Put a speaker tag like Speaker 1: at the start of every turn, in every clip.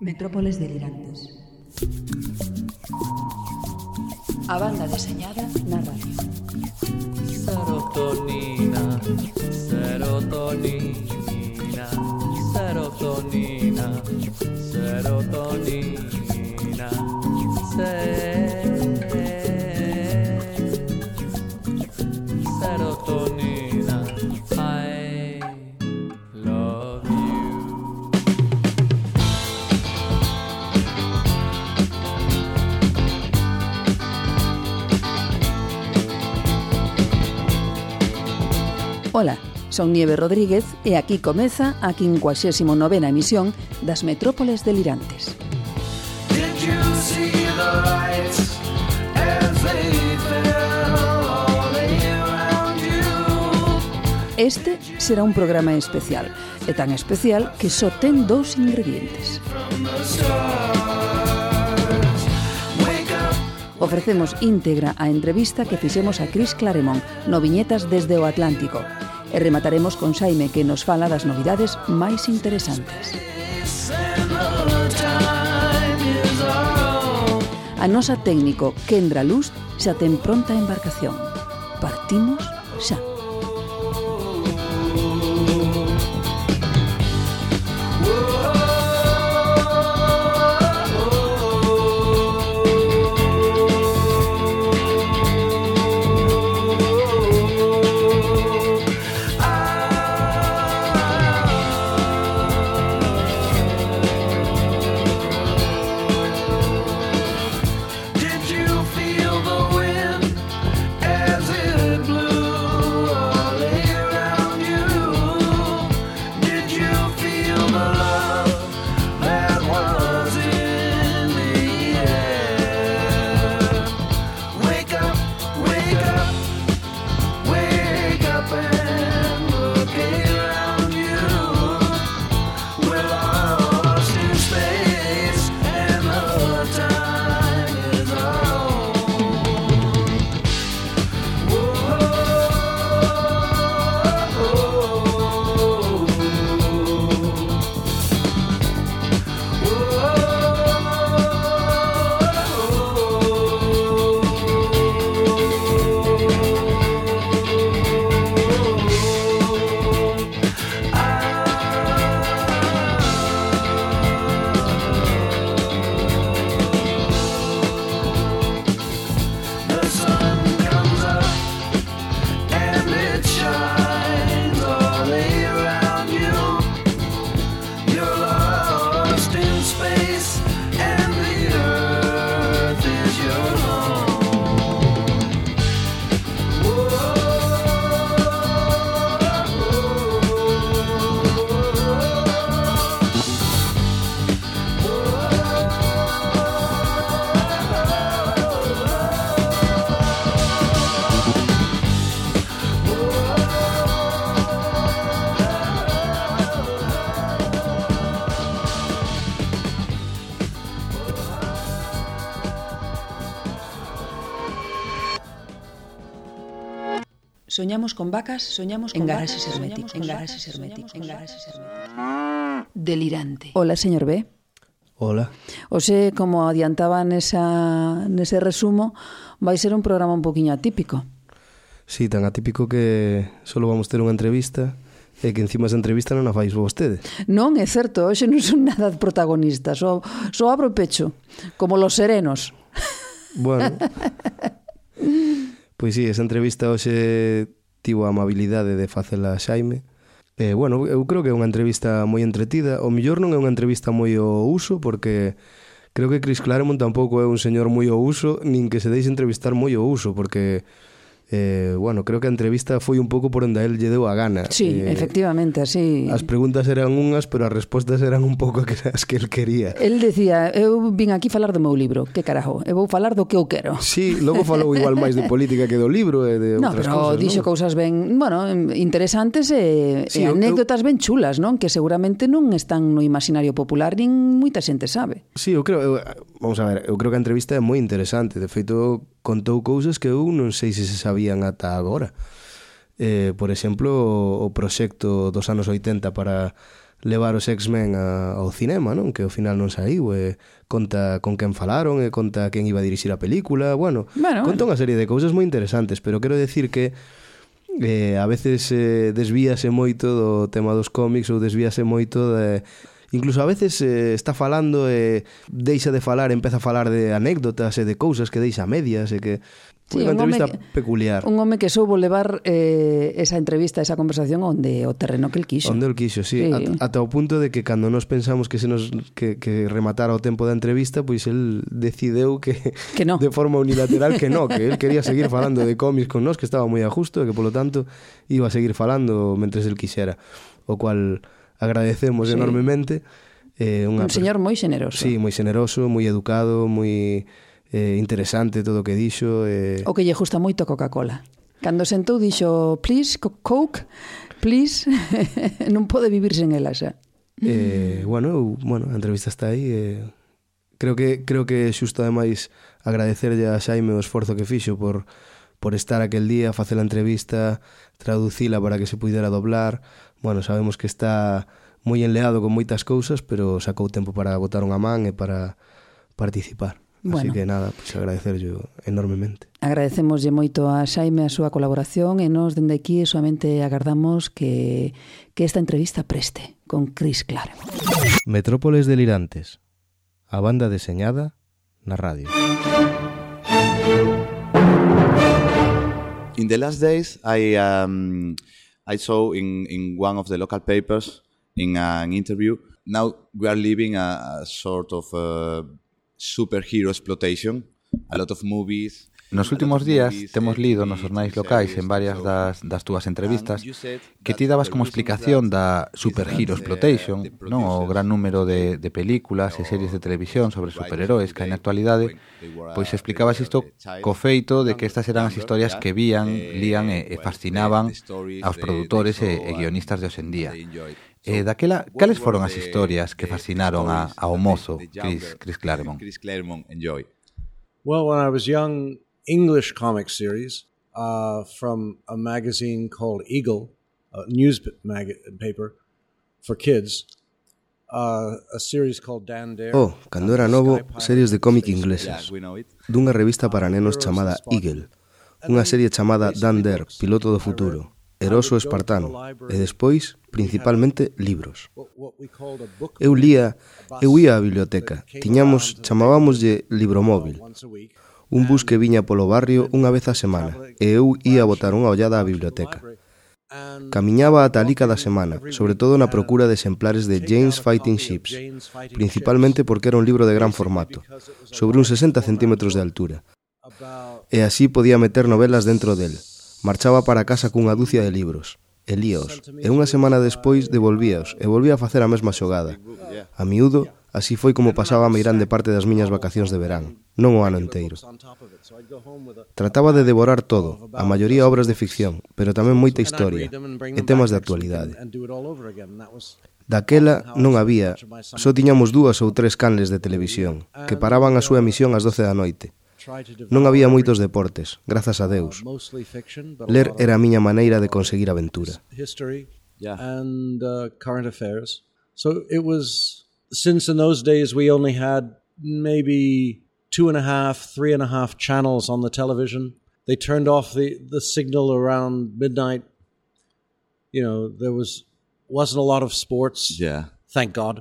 Speaker 1: Metrópoles delirantes. A banda deseñada na radio.
Speaker 2: Serotonina, serotonina, serotonina, serotonina, serotonina, I love you.
Speaker 1: Ola, son Nieve Rodríguez e aquí comeza a 59ª emisión das Metrópoles delirantes.
Speaker 2: Did you see the lights as they fell all around you?
Speaker 1: Este será un programa especial, e tan especial que só ten 2 ingredientes.
Speaker 2: From the stars, wake up.
Speaker 1: Ofrecemos íntegra a entrevista que fixemos a Cris Claremont no Viñetas desde o Atlántico e remataremos con Xaime que nos fala das novidades máis interesantes. A nosa técnico Kendra Luz xa ten pronta a embarcación. Partimos xa.
Speaker 2: Did you feel the wind as it blew all around you? Did you feel the love that was in the air? Wake up, wake up, wake up and look around you. We're lost in space and the time is on. The sun comes up and it shines all around you. You're lost in space and the earth is your home.
Speaker 1: Soñamos con vacas, soñamos con garaxes herméticos, en garaxes herméticos, en garaxes herméticos. Delirante. Hola, señor B.
Speaker 3: Hola.
Speaker 1: Ose, como adiantaba nese resumo, vai ser un programa un poquinho atípico.
Speaker 3: Sí, tan atípico que solo vamos ter unha entrevista e que encima esa entrevista non a fais vostede.
Speaker 1: Non, é certo, hoxe non son nada protagonista, só abro o pecho, como los serenos.
Speaker 3: Bueno, pois sí, esa entrevista hoxe tivo a amabilidade de facela a Xaime. Bueno, eu creo que é unha entrevista moi entretida. O mellor non é unha entrevista moi ao uso, porque creo que Cris Claremont tampouco é un señor moi ao uso, nin que se deixe entrevistar moi ao uso, porque bueno, creo que a entrevista foi un pouco por onde a él lle deu a gana.
Speaker 1: Sí, efectivamente, así.
Speaker 3: As preguntas eran unhas, pero as respostas eran un pouco as que él quería.
Speaker 1: El decía, eu vin aquí falar do meu libro, que carajo, eu vou falar do que eu quero.
Speaker 3: Sí, logo falou igual máis de política que do libro e de outras cousas, non?
Speaker 1: Pero dixo cousas ben, bueno, interesantes e anécdotas ben chulas, non? Que seguramente non están no imaginario popular, nin moita xente sabe.
Speaker 3: Sí, eu creo, vamos a ver, eu creo que a entrevista é moi interesante. De feito, contou cousas que eu non sei se sabían ata agora. Por exemplo, o proxecto dos anos 80 para levar os X-Men ao cinema, non? Que ao final non saiu, conta con quen falaron, conta quen iba a dirixir a película, conta unha serie de cousas moi interesantes, pero quero decir que a veces desvíase moito do tema dos cómics ou desvíase moito de... Incluso a veces está falando e deixa de falar, empeza a falar de anécdotas e de cousas que deixa a medias e que... Foi unha entrevista peculiar.
Speaker 1: Un home que soubo levar esa entrevista, esa conversación onde o terreno que el quixo.
Speaker 3: Onde el quixo, sí. Ata o punto de que cando nos pensamos que que rematara o tempo da entrevista, pois el decideu que no. De forma unilateral que el quería seguir falando de cómics con nós, que estaba moi a justo e que polo tanto iba a seguir falando mentres el quixera. O cual agradecemos enormemente.
Speaker 1: Un señor moi xeneroso.
Speaker 3: Sí, moi xeneroso, moi educado, moi... interesante todo o que dixo.
Speaker 1: O que lle gusta moito a Coca-Cola. Cando sentou dixo, please, Coke, please, non pode vivir sen ela xa.
Speaker 3: Bueno, a entrevista está aí. Creo que xusto ademais agradecerlle a Xaime o esforzo que fixo por estar aquel día, facer a entrevista, traducila para que se pudera doblar. Bueno, sabemos que está moi enleado con moitas cousas, pero sacou tempo para botar unha man e para participar. Así que nada, pues agradecerlle enormemente.
Speaker 1: Agradecemoslle moito a Xaime a súa colaboración e nos dende aquí solamente agardamos que esta entrevista preste con Chris Claremont.
Speaker 3: Metrópoles delirantes, a banda deseñada na radio.
Speaker 4: In the last days, I saw in one of the local papers in an interview. Now we are living a sort of superhero exploitation, a lot of movies.
Speaker 5: Nos últimos días temos lido nos xornais locais en varias das túas entrevistas que ti dabas como explicación da superhero exploitation, non, o gran número de películas e series de televisión sobre superheróis que hai na actualidade, pois explicabas isto co feito de que estas eran as historias que vían, lían e fascinaban aos produtores e guionistas de hoxendía. Daquela, cales foron as historias que fascinaron ao mozo Chris Claremont?
Speaker 6: Well, when I was young, English comic series from a magazine called Eagle, a newspaper for kids. A series called Dan Dare.
Speaker 3: Cando era novo, series de cómic inglesas dunha revista para nenos chamada Eagle, unha serie chamada Dan Dare, piloto do futuro, Eroso espartano, e despois, principalmente, libros. Eu ia á biblioteca, chamábamoslle libromóvil, un bus que viña polo barrio unha vez a semana, e eu ia botar unha ollada á biblioteca. Camiñaba ata alí cada semana, sobre todo na procura de exemplares de Jane's Fighting Ships, principalmente porque era un libro de gran formato, sobre uns 60 centímetros de altura, e así podía meter novelas dentro del. Marchaba para casa cunha dúcia de libros, e líaos, e unha semana despois devolvíaos, e volvía a facer a mesma xogada. A miúdo, así foi como pasaba a meirande parte das miñas vacacións de verán, non o ano enteiro. Trataba de devorar todo, a maioría obras de ficción, pero tamén moita historia, e temas de actualidade. Daquela non había, só tiñamos 2 ou 3 canles de televisión, que paraban a súa emisión ás 12 da noite. Non había moitos deportes, grazas a Deus. Ler era a miña maneira de conseguir aventura.
Speaker 6: And current affairs. So it was, since in those days we only had maybe 2.5, 3.5 channels on the television. They turned off the signal around midnight. You know, there wasn't a lot of sports.
Speaker 4: Yeah.
Speaker 6: Thank God.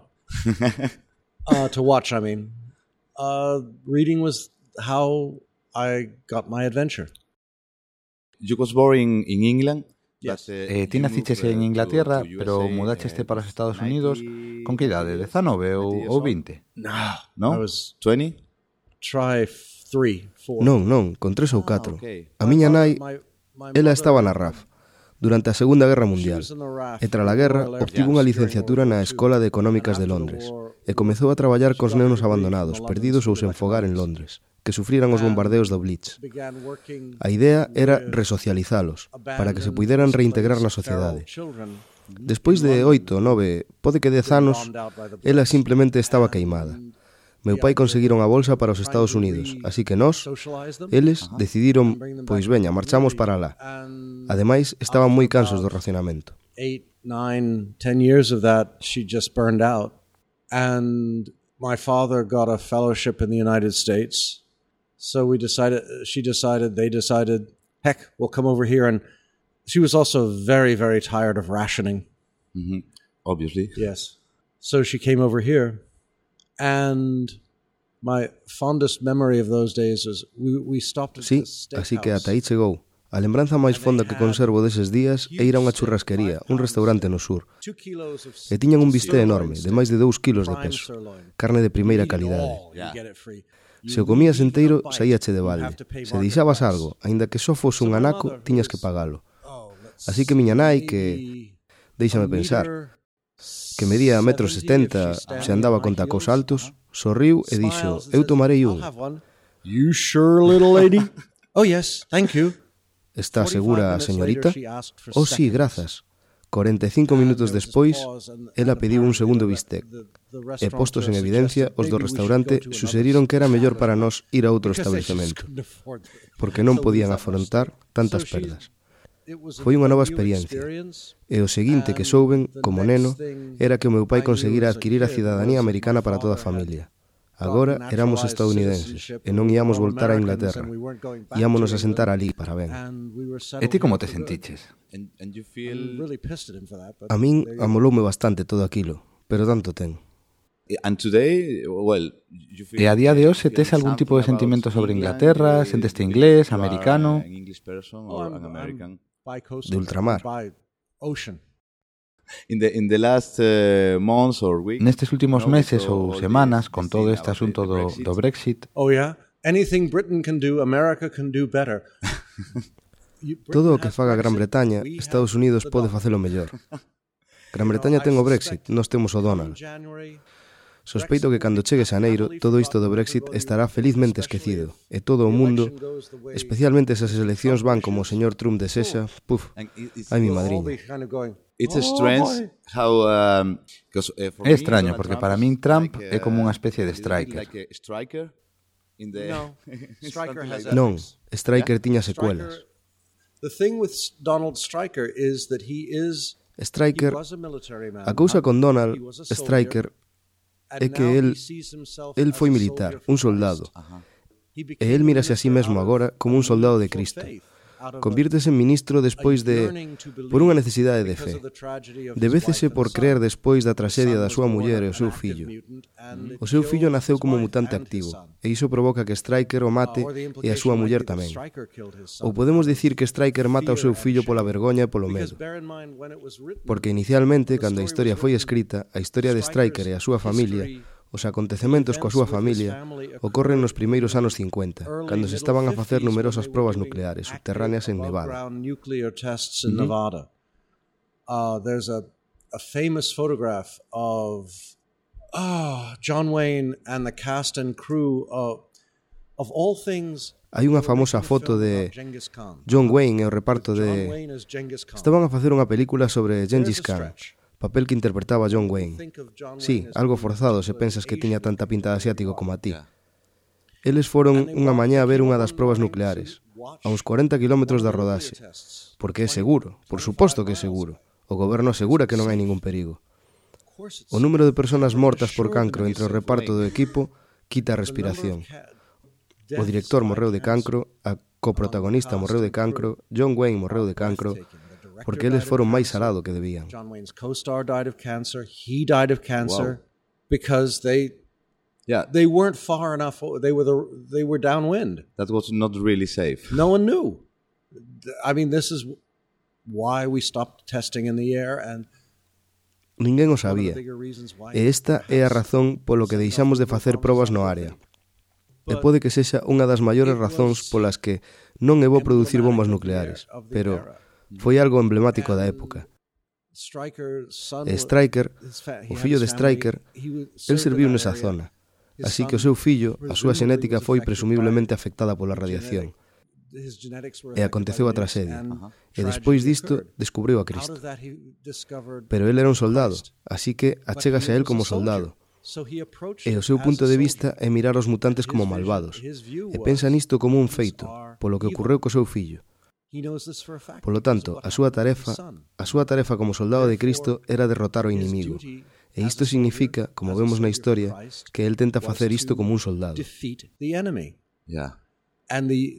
Speaker 6: To watch, I mean. Reading was how I got my adventure.
Speaker 4: You was born in England?
Speaker 5: Ti naciches en Inglaterra, pero mudaste para os Estados Unidos con que idade? 19 ou 20?
Speaker 4: No?
Speaker 6: I was
Speaker 4: 20?
Speaker 6: Try 3, 4.
Speaker 3: Non, con 3 ou 4. A miña nai, ela estaba na RAF durante a Segunda Guerra Mundial, e tras a guerra obtivo unha licenciatura na Escola de Económicas de Londres e comezou a traballar cos nenos abandonados, perdidos ou sen fogar en Londres, que sufriran os bombardeos do Blitz. A idea era resocializalos, para que se puideran reintegrar na sociedade. Despois de 8, 9, pode que 10 anos, ela simplemente estaba queimada. Meu pai conseguiron a bolsa para os Estados Unidos, así que nós, eles, decidiron, pois veña, marchamos para lá. Ademais, estaban moi cansos do racionamento.
Speaker 6: 8, 9, 10 years of that, she just burned out. And my father got a fellowship in the United States. So they decided, heck, we'll come over here. And she was also very, very tired of rationing.
Speaker 4: Mm-hmm. Obviously.
Speaker 6: Yes. So she came over here. And my fondest memory of those days is we stopped at
Speaker 3: Sí,
Speaker 6: the steakhouse.
Speaker 3: así que ata aí chegou. A lembranza máis fonda que conservo deses días é ir a unha churrasquería, un restaurante no sur. E tiñan un bisté enorme, de máis de 2 kilos de peso. Carne de primeira calidade. Se o comías enteiro, saíache de balde. Se deixabas algo, aínda que só fose un anaco, tiñas que pagalo. Así que miña nai, que... Déixame pensar, que medía 1,70 m, se andaba con tacos altos, sorriu e dixo, eu tomarei un.
Speaker 6: You sure, little lady? Oh, yes, thank you.
Speaker 3: Está segura a señorita? Oh, sí, grazas. 45 minutos despois, ela pediu un segundo bistec. E postos en evidencia, os do restaurante suxeriron que era mellor para nós ir a outro establecemento, porque non podían afrontar tantas perdas. Foi unha nova experiencia, e o seguinte que souben, como neno, era que o meu pai conseguira adquirir a cidadanía americana para toda a familia. Agora éramos estadounidenses e non íamos voltar a Inglaterra. Íamonos a sentar ali para ben.
Speaker 5: E ti como te sentiches?
Speaker 3: A min amoloume bastante todo aquilo, pero tanto ten.
Speaker 5: E a día de hoxe tes algún tipo de sentimento sobre Inglaterra? Senteste inglés, americano?
Speaker 3: De ultramar.
Speaker 5: Nestes últimos meses ou semanas, con todo este asunto do Brexit,
Speaker 6: Oh, yeah? Anything Britain can do, America can do better.
Speaker 3: Todo o que faga Gran Bretaña, Estados Unidos pode facelo mellor. Gran Bretaña ten o Brexit, nós temos o Donald. Sospeito que cando chegue xaneiro, todo isto do Brexit estará felizmente esquecido, e todo o mundo, especialmente esas eleccións van como o señor Trump desexa, puf, ai mi madriña.
Speaker 5: É extraño, porque para min Trump é como unha especie de striker.
Speaker 3: Non, Striker tiña secuelas. Striker, a cousa con Donald, Striker, é que el foi militar, un soldado. E el mírase a sí mesmo agora como un soldado de Cristo. Convírtese en ministro despois por unha necesidade de fe. Debécese por creer despois da traxedia da súa muller e o seu fillo. O seu fillo naceu como mutante activo, e iso provoca que Striker o mate e a súa muller tamén. Ou podemos dicir que Striker mata o seu fillo pola vergoña e polo medo. Porque inicialmente, cando a historia foi escrita, a historia de Striker e a súa familia, os acontecementos coa súa familia ocorren nos primeiros anos 50, cando se estaban a facer numerosas probas nucleares subterráneas en Nevada.
Speaker 6: There's a famous photograph of John Wayne and the cast and crew of all things.
Speaker 3: Hai unha famosa foto de John Wayne e o reparto de... Estaban a facer unha película sobre Gengis Khan, papel que interpretaba John Wayne. Sí, algo forzado se pensas que tiña tanta pinta de asiático como a ti. Eles foron unha mañá a ver unha das probas nucleares, a uns 40 kilómetros da rodaxe, porque é seguro, por suposto que é seguro. O goberno asegura que non hai ningún perigo. O número de persoas mortas por cancro entre o reparto do equipo quita a respiración. O director morreu de cancro, a coprotagonista morreu de cancro, John Wayne morreu de cancro, porque eles foron máis alá do que debían.
Speaker 6: John Wayne's co-star died of cancer. He died of cancer because they weren't far enough. They were downwind.
Speaker 4: That was not really safe.
Speaker 6: No one knew. I mean, this is why we stopped testing in the air and
Speaker 3: ninguén o sabía. E esta é a razón polo que deixamos de facer probas no área. E pode que sexa unha das maiores razóns polas que non é bo producir bombas nucleares, pero foi algo emblemático da época. E Striker, o fillo de Striker, el serviu nesa zona, así que o seu fillo, a súa xenética foi presumiblemente afectada pola radiación. E aconteceu a traxedia. E despois disto, descubriu a Cristo. Pero el era un soldado, así que achégase a el como soldado. E o seu punto de vista é mirar os mutantes como malvados, e pensa nisto como un feito, polo que ocorreu co seu fillo. Polo tanto, a súa tarefa como soldado de Cristo era derrotar o inimigo. E isto significa, como vemos na historia, que el tenta facer isto como un soldado.
Speaker 4: Yeah.
Speaker 6: And the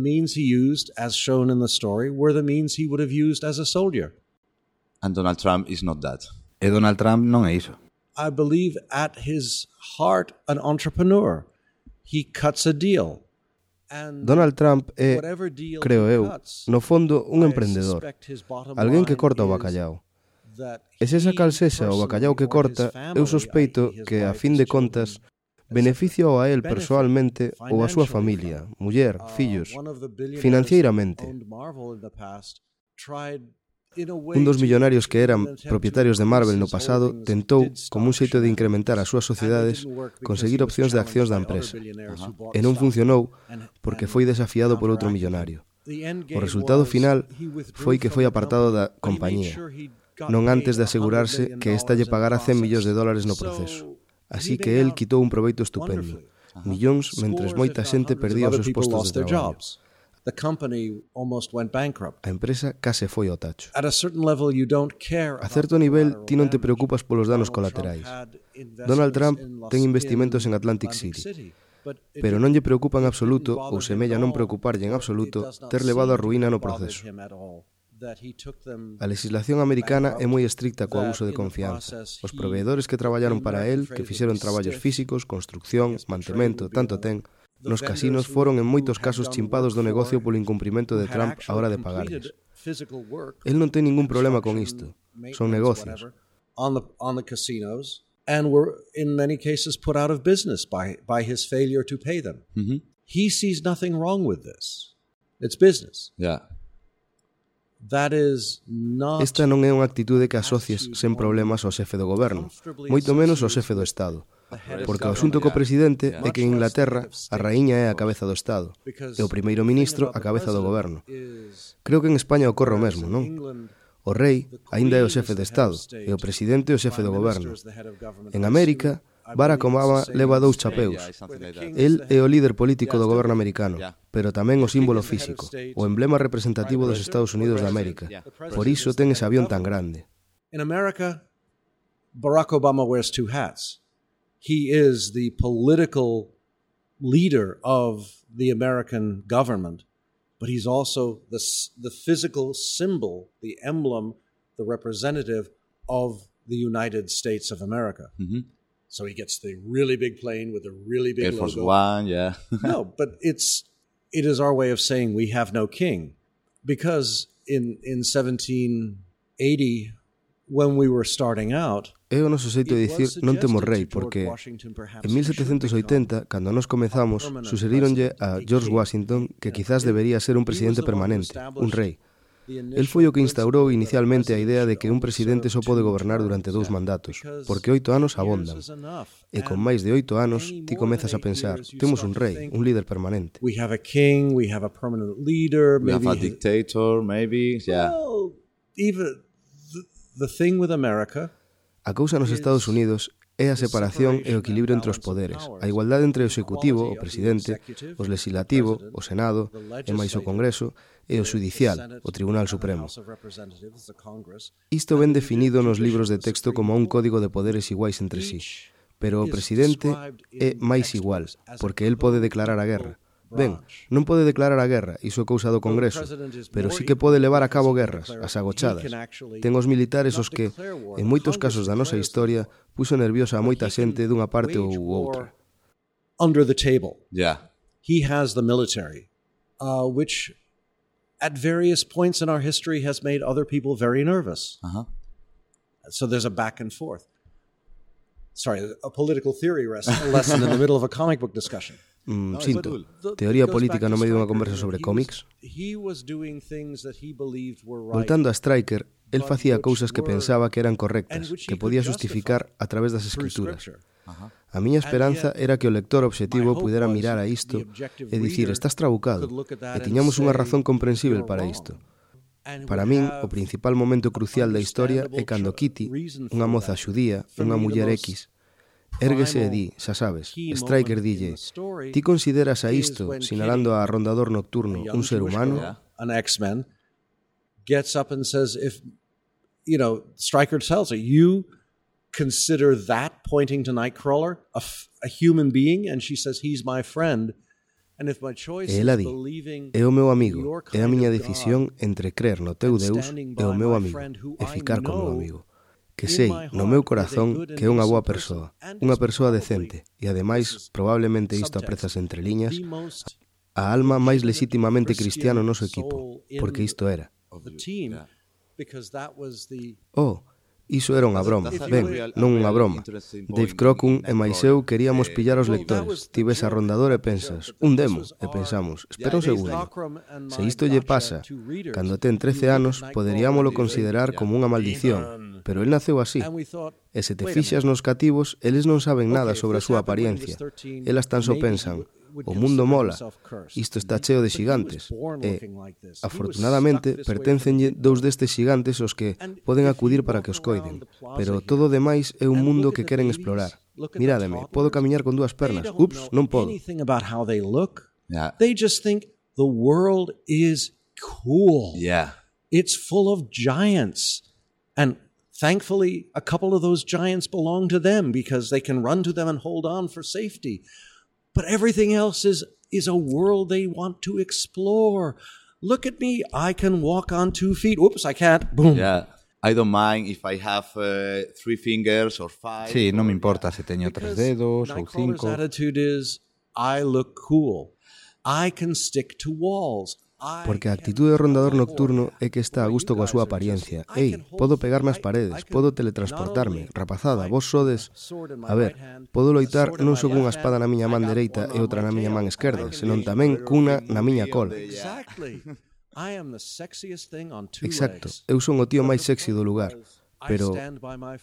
Speaker 6: means he used, as shown in the story, were the means he would have used as a soldier.
Speaker 4: And Donald Trump is not that.
Speaker 5: E Donald Trump non é iso.
Speaker 6: I believe at his heart an entrepreneur. He cuts a deal. And
Speaker 3: Donald Trump é,
Speaker 6: whatever deal
Speaker 3: creo
Speaker 6: he
Speaker 3: eu,
Speaker 6: cuts,
Speaker 3: no fondo, un
Speaker 6: I
Speaker 3: emprendedor.
Speaker 6: suspect his bottom
Speaker 3: Alguén que
Speaker 6: line
Speaker 3: corta o
Speaker 6: is
Speaker 3: bacallau.
Speaker 6: that
Speaker 3: E se esa cal
Speaker 6: he
Speaker 3: sexa o bacallau que
Speaker 6: personally or his
Speaker 3: corta,
Speaker 6: family,
Speaker 3: eu sospeito
Speaker 6: i.e. his
Speaker 3: que, a
Speaker 6: wife,
Speaker 3: fin
Speaker 6: his
Speaker 3: de
Speaker 6: children,
Speaker 3: contas, beneficio a él persoalmente ou a súa
Speaker 6: financially
Speaker 3: familia, muller, fillos,
Speaker 6: one of the billionaires
Speaker 3: financieiramente.
Speaker 6: who owned Marvel in the past tried in a way
Speaker 3: Un dos
Speaker 6: to-
Speaker 3: millonarios que eran
Speaker 6: in an attempt
Speaker 3: propietarios de
Speaker 6: to
Speaker 3: Marvel no
Speaker 6: increase his
Speaker 3: pasado
Speaker 6: holdings,
Speaker 3: tentou,
Speaker 6: did
Speaker 3: como un
Speaker 6: stock
Speaker 3: xeito de
Speaker 6: share.
Speaker 3: incrementar as súas sociedades,
Speaker 6: And it didn't work because
Speaker 3: conseguir
Speaker 6: he was
Speaker 3: opcións de accións da
Speaker 6: challenged by
Speaker 3: empresa.
Speaker 6: other billionaires who bought
Speaker 3: E non
Speaker 6: stock.
Speaker 3: funcionou
Speaker 6: And-
Speaker 3: porque
Speaker 6: and
Speaker 3: foi desafiado por outro
Speaker 6: counteracted
Speaker 3: millonario.
Speaker 6: him. The end
Speaker 3: O
Speaker 6: game
Speaker 3: resultado
Speaker 6: was
Speaker 3: final
Speaker 6: he withdrew
Speaker 3: foi que foi
Speaker 6: from the
Speaker 3: apartado
Speaker 6: company,
Speaker 3: da
Speaker 6: but he made
Speaker 3: compañía,
Speaker 6: sure he got
Speaker 3: non
Speaker 6: paid
Speaker 3: antes de asegurarse
Speaker 6: $100
Speaker 3: que esta lle
Speaker 6: million
Speaker 3: pagara 100
Speaker 6: in
Speaker 3: millóns de dólares no
Speaker 6: process.
Speaker 3: proceso.
Speaker 6: So,
Speaker 3: Así
Speaker 6: he
Speaker 3: que
Speaker 6: made
Speaker 3: el
Speaker 6: out
Speaker 3: quitou un proveito estupendo. Millóns mentres
Speaker 6: Scores,
Speaker 3: moita
Speaker 6: if not
Speaker 3: xente
Speaker 6: hundreds
Speaker 3: perdía
Speaker 6: of
Speaker 3: os
Speaker 6: other
Speaker 3: seus
Speaker 6: people
Speaker 3: postos
Speaker 6: lost
Speaker 3: de
Speaker 6: their
Speaker 3: traballo.
Speaker 6: jobs. The company almost went bankrupt.
Speaker 3: A empresa case foi ao tacho.
Speaker 6: At a certain level, you don't care
Speaker 3: A
Speaker 6: about
Speaker 3: certo
Speaker 6: the
Speaker 3: nivel,
Speaker 6: collateral
Speaker 3: ti non te
Speaker 6: damage.
Speaker 3: preocupas polos danos
Speaker 6: Donald Trump
Speaker 3: colaterais.
Speaker 6: had investments
Speaker 3: Donald Trump
Speaker 6: in
Speaker 3: ten investimentos en Atlantic City, pero non lle preocupa en absoluto, ou semella non preocuparlle en absoluto, ter levado a ruína no proceso. A legislación americana é moi estricta co abuso de confianza. Os proveedores que traballaron para él, que fixeron traballos físicos, construcción, mantemento, tanto ten, nos casinos foron en moitos casos chimpados do negocio polo incumprimento de Trump á hora de pagarles. El non ten ningún problema con isto. Son negocios.
Speaker 6: On the casinos, and were in many cases put out of business by his failure to pay them. He sees nothing wrong with this. It's business.
Speaker 4: Yeah.
Speaker 6: That is not
Speaker 3: Esta non é unha actitude que asocies sen problemas ao xefe do goberno, moito menos ao xefe do Estado. Porque o asunto co presidente é que en Inglaterra a raíña é a cabeza do Estado e o primeiro ministro a cabeza do goberno. Creo que en España ocorre o mesmo, non? O rei aínda é o xefe de Estado e o presidente o xefe do goberno. En América, Barack Obama leva 2 chapeus. El é o líder político do goberno americano, pero tamén o símbolo físico, o emblema representativo dos Estados Unidos de América. Por iso ten ese avión tan grande.
Speaker 6: In America, Barack Obama wears 2 hats. He is the political leader of the American government, but he's also the physical symbol, the emblem, the representative of the United States of America. So he gets the really big plane with a really big
Speaker 4: Air Force
Speaker 6: logo.
Speaker 4: One, yeah.
Speaker 6: No, but it is our way of saying we have no king, because in 1780, when we were starting out,
Speaker 3: É o noso xeito de dicir non temos rei, porque en 1780, cando nos comezamos, suxeríronlle a George Washington que quizás debería ser un presidente permanente, un rei. El foi o que instaurou inicialmente a idea de que un presidente só pode gobernar durante 2 mandatos, porque 8 anos abondan. E con máis de 8 anos, ti comezas a pensar, temos un rei, un líder permanente.
Speaker 6: We have a king, we have a permanent leader,
Speaker 4: We have a dictator, maybe. Yeah.
Speaker 6: Well, even the thing with America,
Speaker 3: A cousa nos Estados Unidos é a separación e o equilibrio entre os poderes, a igualdade entre o executivo, o presidente, o legislativo, o senado, e máis o Congreso, e o xudicial, o Tribunal Supremo. Isto ben definido nos libros de texto como un código de poderes iguais entre sí, pero o presidente é máis igual, porque el pode declarar a guerra. Ben, non pode declarar a guerra, iso é cousa do Congreso, pero sí que pode levar a cabo guerras, as agochadas. Ten os militares os que, en moitos casos da nosa historia, puxo nerviosa a moita xente dunha parte ou outra.
Speaker 6: under the table.
Speaker 4: Yeah.
Speaker 6: He has the military, which at various points in our history has made other people very nervous. So there's a back and forth. Sorry, a political theory lesson in the middle of a comic book discussion.
Speaker 3: Sinto, teoría política no medio dunha conversa sobre cómics. Voltando a Stryker, el facía cousas que pensaba que eran correctas, que podía justificar a través das escrituras. A miña esperanza era que o lector obxectivo pudera mirar a isto e dicir, estás trabucado, e tiñamos unha razón comprensible para isto. Para min, o principal momento crucial da historia é cando Kitty, unha moza xudía, unha muller X, érguese e di, xa sabes, Stryker dille, ti consideras a isto, sinalando a rondador nocturno, un ser humano?
Speaker 6: an X-Men, gets up and says, if, Stryker tells her, you consider that pointing to Nightcrawler a human being? And she says, he's my friend. And if my choice is believing
Speaker 3: é o meu amigo, é a miña decisión entre crer no teu Deus e o meu amigo, e ficar co meu amigo. Que sei, no meu corazón, que é unha boa persoa decente, e ademais, probablemente isto aprezas entre liñas, a alma máis legitimamente cristiana no noso equipo, porque isto era. Oh, iso era unha broma. Ben, non unha broma. Dave Crocum e máis eu queríamos pillar os lectores. Ti ves a rondadora e pensas, un demo, e pensamos, espera un segundo. Se isto lle pasa, cando ten 13 anos, poderíamolo considerar como unha maldición, pero el naceu así. E se te fixas nos cativos, eles non saben nada sobre a súa apariencia. Elas tan só pensan, o mundo mola, isto está cheo de xigantes, e, afortunadamente, perténcenlle dous destes xigantes os que poden acudir para que os coiden, pero todo o demais é un mundo que queren explorar. Mirádeme, podo camiñar con dúas pernas, ups, non podo.
Speaker 6: They just think the world is cool. It's full of giants, and thankfully, a couple of those giants belong to them because they can run to them and hold on for safety. But everything else is a world they want to explore. Look at me. I can walk on 2 feet. Oops, I can't. Boom.
Speaker 4: Yeah. I don't mind if I have 3 fingers or 5.
Speaker 5: Sí, non me importa se teño 3 dedos ou 5.
Speaker 6: Nightcrawler's attitude is, I look cool. I can stick to walls.
Speaker 3: Porque a actitude do rondador nocturno é que está a gusto coa súa apariencia. Ei, podo pegarme as paredes, podo teletransportarme. Rapazada, vos sodes... A ver, podo loitar non só cunha espada na miña man dereita e outra na miña man esquerda, senón tamén cunha na miña cola. Exacto, eu son o tío máis sexy do lugar. Pero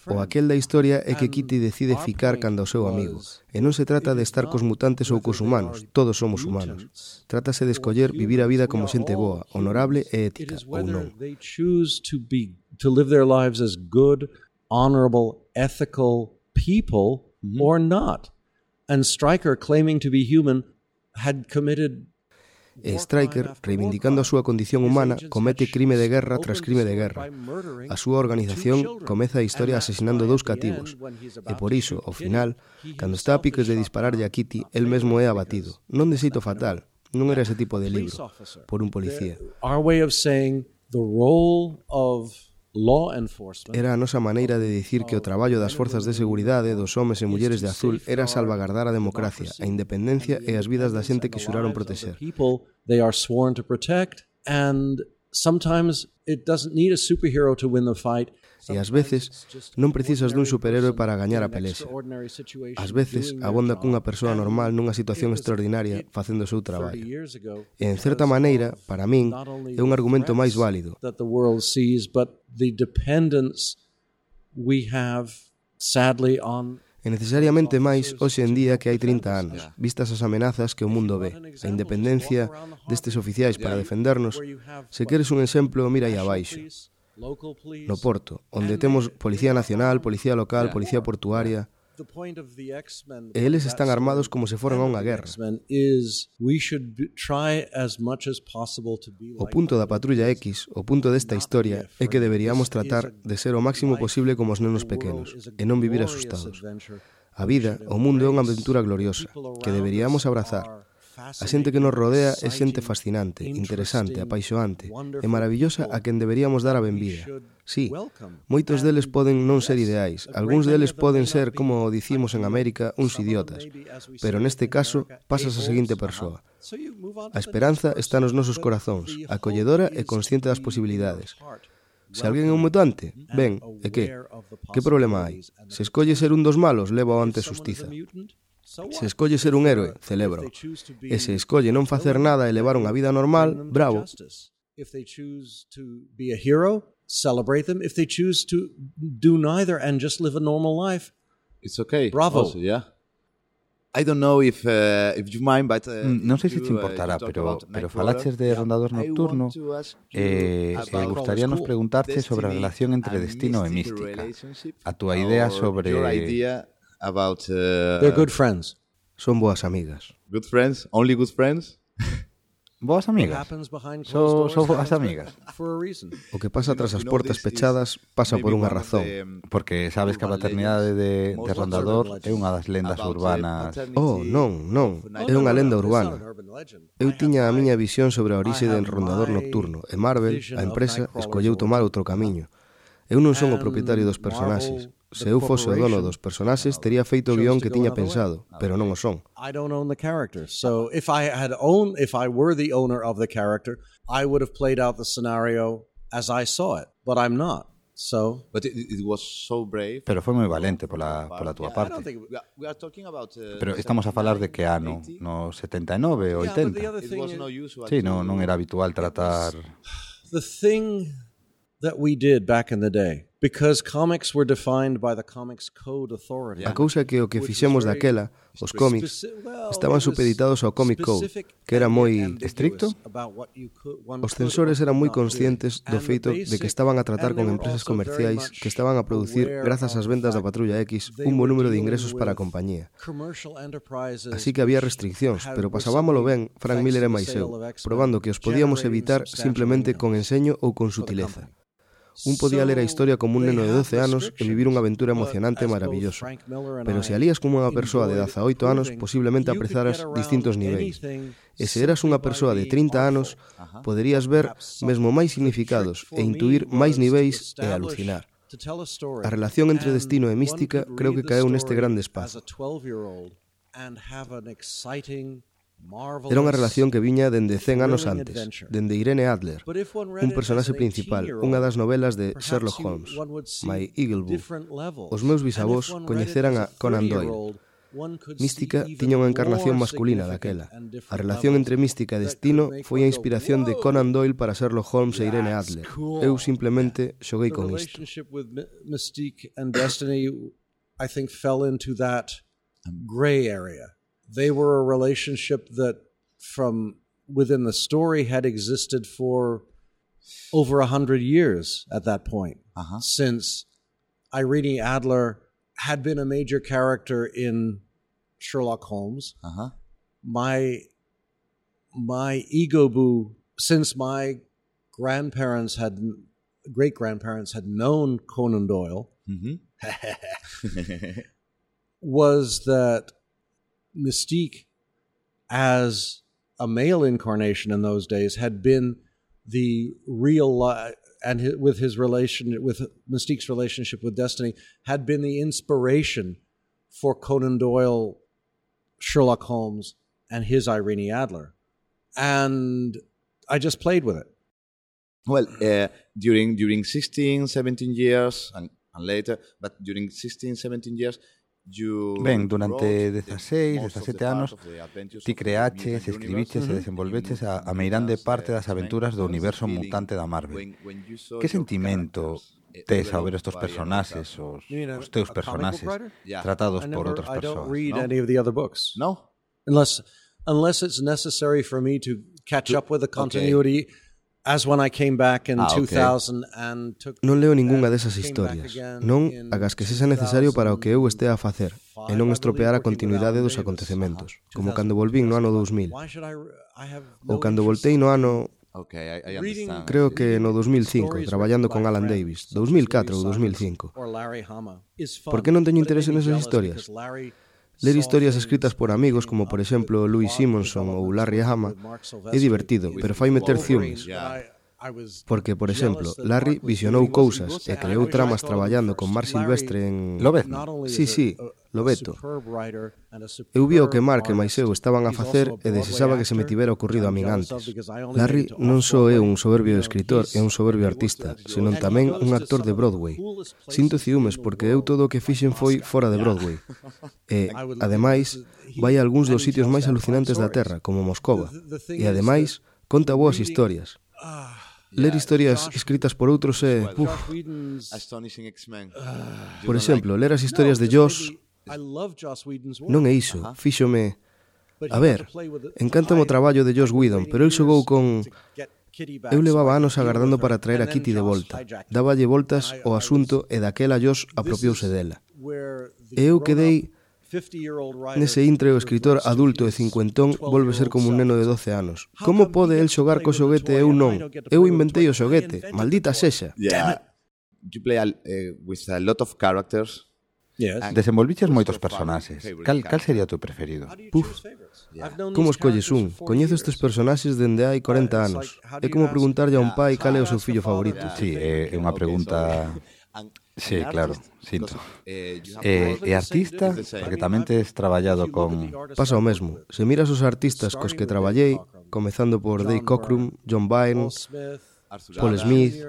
Speaker 3: o aquel da historia é que Kitty decide ficar canda o seu amigo. E non se trata de estar cos mutantes ou cos humanos, todos somos humanos. Trátase de escoller vivir a vida como xente boa, honorable e ética, ou non.
Speaker 6: They choose to live their lives as good, honorable, ethical people or not. And Stryker, claiming to be human, had committed...
Speaker 3: E Stryker, reivindicando a súa condición humana, comete crime de guerra tras crime de guerra. A súa organización comeza a historia asesinando 2 cativos. E por iso, ao final, cando está a piques de dispararlle a Kitty, el mesmo é abatido. Non de xeito fatal. Non era ese tipo de libro, por un policía.
Speaker 6: Our way of saying the role of law enforcement.
Speaker 3: Era a nosa maneira de dicir que o traballo das forzas de seguridade, dos homes e mulleres de azul, era salvagardar a democracia, a independencia e as vidas da xente que xuraron proteger.
Speaker 6: They are sworn to protect, and sometimes it doesn't need a superhero to win the fight.
Speaker 3: E ás veces non precisas dun superhéroe para gañar a pelexa. Ás veces abonda cunha persoa normal nunha situación extraordinaria facendo o seu traballo. E en certa maneira, para min, é un argumento máis válido. E necesariamente máis hoxe en día que hai 30 anos, vistas as amenazas que o mundo ve, a independencia destes oficiais para defendernos. Se queres un exemplo, mira aí abaixo. No Porto, onde temos Policía Nacional, Policía Local, Policía Portuaria, e eles están armados como se foran a unha guerra. O punto da Patrulla X, o punto desta historia, é que deberíamos tratar de ser o máximo posible como os nenos pequenos, e non vivir asustados. A vida, o mundo é unha aventura gloriosa, que deberíamos abrazar. A xente que nos rodea é xente fascinante, interesante, apaixoante e maravillosa a quen deberíamos dar a benvida. Sí, moitos deles poden non ser ideais, algúns deles poden ser, como dicimos en América, uns idiotas, pero neste caso pasas a seguinte persoa. A esperanza está nos nosos corazóns, acolledora e consciente das posibilidades. Se alguén é un mutante, ben, e que? Que problema hai? Se escolle ser un dos malos, leva ante a xustiza. Se escolle ser un héroe, celebro. E se escolle non facer nada e levar unha vida normal, bravo.
Speaker 6: If they choose to be a hero, celebrate them. If they choose to do neither and just live a normal life,
Speaker 4: it's okay.
Speaker 6: Bravo.
Speaker 4: Also, yeah. I don't know if you mind, but
Speaker 5: non sei se te importará, pero falaches de Rondador Nocturno e gustaríanos preguntarte sobre a relación entre destino e mística. A túa idea sobre...
Speaker 4: About
Speaker 6: they're good friends.
Speaker 3: Son boas amigas.
Speaker 4: Good friends? Only good friends?
Speaker 5: Boas amigas. Son boas amigas.
Speaker 3: O que pasa tras as portas pechadas pasa por unha razón.
Speaker 5: Porque sabes que a paternidade de Rondador é unha das lendas urbanas.
Speaker 3: Oh, non, é unha lenda urbana. Eu tiña a miña visión sobre a orixe do Rondador Nocturno e Marvel, a empresa, escolleu tomar outro camiño. Eu non son o propietario dos personaxes. Se eu fose o dono dos personaxes, tería feito o guión que tiña pensado, pero non o son.
Speaker 6: I don't own the character. So if I were the owner of the character, I would have played out the scenario as I saw it, but I'm not. So
Speaker 4: But it was so brave.
Speaker 5: Pero foi moi valente pola túa parte.
Speaker 4: We are talking about
Speaker 5: Pero estamos a falar de que ano? No 79 ou 80?
Speaker 4: it was no usual.
Speaker 5: Sí, non era habitual tratar...
Speaker 6: the thing that we did back in the day, because comics were defined by the Comics Code Authority.
Speaker 3: A cousa é que o que fixemos daquela, os cómics, estaban supeditados ao Comic Code, que era moi
Speaker 5: estricto.
Speaker 3: Os censores eran moi conscientes do feito de que estaban a tratar con empresas comerciais que estaban a producir, grazas ás vendas da Patrulla X, un bo número de ingresos para a compañía. Así que había restriccións, pero pasábamolo ben Frank Miller e máis eu, probando que os podíamos evitar simplemente con enseño ou con sutileza. Un podía ler a historia como un neno de 12 anos e vivir unha aventura emocionante e maravillosa. Pero se alías como unha persoa de 18 anos, posiblemente aprezaras distintos niveis. E se eras unha persoa de 30 anos, poderías ver mesmo máis significados e intuir máis niveis e alucinar. A relación entre destino e mística creo que caeu neste grande espazo. Era unha relación que viña dende 100 anos antes, dende Irene Adler, un personaxe principal, unha das novelas de Sherlock Holmes, My Eagle Book. Os meus bisavós coñeceran a Conan Doyle. Mística tiña unha encarnación masculina daquela. A relación entre mística e destino foi a inspiración de Conan Doyle para Sherlock Holmes e Irene Adler. Eu simplemente xoguei con isto.
Speaker 6: Mystique and Destiny, I think, fell into that gray area. They were a relationship that, from within the story, had existed for over 100 years at that point, since Irene Adler had been a major character in Sherlock Holmes. My ego boo, since my great-grandparents had known Conan Doyle, was that Mystique, as a male incarnation in those days, had been the real and with Mystique's relationship with Destiny, had been the inspiration for Conan Doyle, Sherlock Holmes, and his Irene Adler. And I just played with it.
Speaker 4: Well, during 16, 17 years and later, but during 16, 17 years,
Speaker 5: Ben, durante 16, 17 anos, ti creaches, escribiches e desenvolveches a meirande parte das aventuras do universo mutante da Marvel. Que sentimento tes ao ver estes personaxes, os teus personaxes, tratados por outras persoas?
Speaker 6: No? Unless it's necessary for me to catch up with the continuity. As when I came back in 2000 and took...
Speaker 3: Non leo ningunha desas historias. Non agas que sexa necesario para o que eu estea a facer e non estropear a continuidade dos acontecementos, como cando volvín no ano 2000. Ou cando voltei no ano... Creo que no 2005, traballando con Alan Davis, 2004 ou 2005. Por que non teño interese nesas historias? Ler historias escritas por amigos como, por exemplo, Louis Simonson ou Larry Hama é divertido, pero fai meter ciúmes. Porque, por exemplo, Larry visionou cousas e creou tramas traballando con Mark Silvestre en...
Speaker 5: Lobeto?
Speaker 3: Sí, Lobeto. Eu vi o que Mark e máis eu estaban a facer e desexaba que se me tivera ocurrido a min antes. Larry non só é un soberbio escritor e un soberbio artista, senón tamén un actor de Broadway. Sinto ciúmes porque eu todo o que fixen foi fora de Broadway. E, ademais, vai a algúns dos sitios máis alucinantes da Terra, como Moscova. E, ademais, conta boas historias. Ler historias escritas por outros é... Por exemplo, ler as historias de Joss non é iso, fíxome... A ver, encántame o traballo de Joss Whedon, pero el xogou con... Eu levaba anos agardando para traer a Kitty de volta. Dáballe voltas ao asunto e daquela Joss apropiouse dela. E eu quedei Nese intre o escritor adulto e cincuentón volve ser como un neno de 12 anos. Como pode el xogar co xoguete e eu non? Eu inventei o xoguete, maldita sexa.
Speaker 4: Yeah. You play with a lot of characters.
Speaker 6: Yes.
Speaker 5: Desenvolviches moitos personaxes. Cal sería o teu preferido?
Speaker 3: Puf, como escolles un? Coñezo estes personaxes dende hai 40 anos. É como preguntarlle a un pai cal é o seu fillo favorito.
Speaker 5: Sí, é unha pregunta... Sí, claro, sinto. E artista? Porque tamén tes traballado con...
Speaker 3: Pasa o mesmo. Se miras os artistas cos que traballei, comezando por Dave Cockrum, John Byrne, Paul Smith,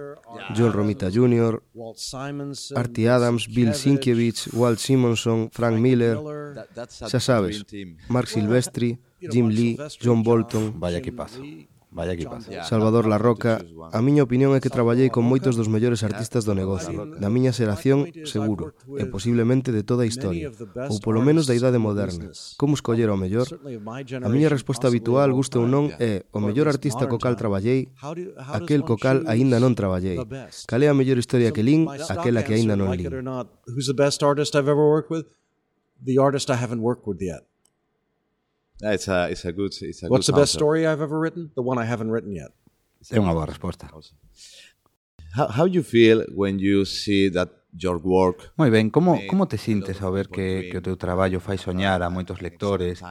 Speaker 3: John Romita Jr., Artie Adams, Bill Sienkiewicz, Walt Simonson, Frank Miller, xa sabes, Mark Silvestri, Jim Lee, John Bolton,
Speaker 5: Vaya equipazo. Vaya equipazo.
Speaker 3: Salvador Larroca. A miña opinión é que traballei con moitos dos mellores artistas do negocio, da miña xeración, seguro, e posiblemente de toda a historia, ou polo menos da idade moderna. Como escoller o mellor? A miña resposta habitual, guste ou non, é o mellor artista co cal traballei, aquel co cal aínda non traballei. Cal é a mellor historia que lín, aquela que aínda non lín.
Speaker 6: Who's the best artist I've ever worked with? The artist I haven't worked with yet.
Speaker 4: It's a good
Speaker 6: What's the best story I've ever written? The one I haven't written yet.
Speaker 5: É unha boa resposta.
Speaker 4: How you feel when you see that your work...
Speaker 5: Moi ben, como te sintes ao ver que o teu traballo fai soñar a moitos lectores,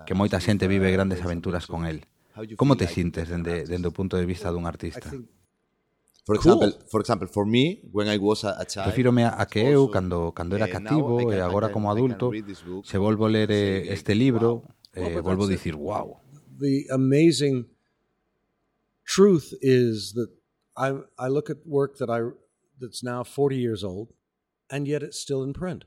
Speaker 5: que moita xente vive grandes aventuras con el? Como te sintes dende o punto de vista dun artista?
Speaker 4: For example, for me, when I was a child...
Speaker 5: Refírome a que eu, cando era cativo e agora como adulto, se volvo ler este libro... volvo a dicir, wow.
Speaker 6: The amazing truth is that I look at work that's now 40 years old, and yet it's still in print.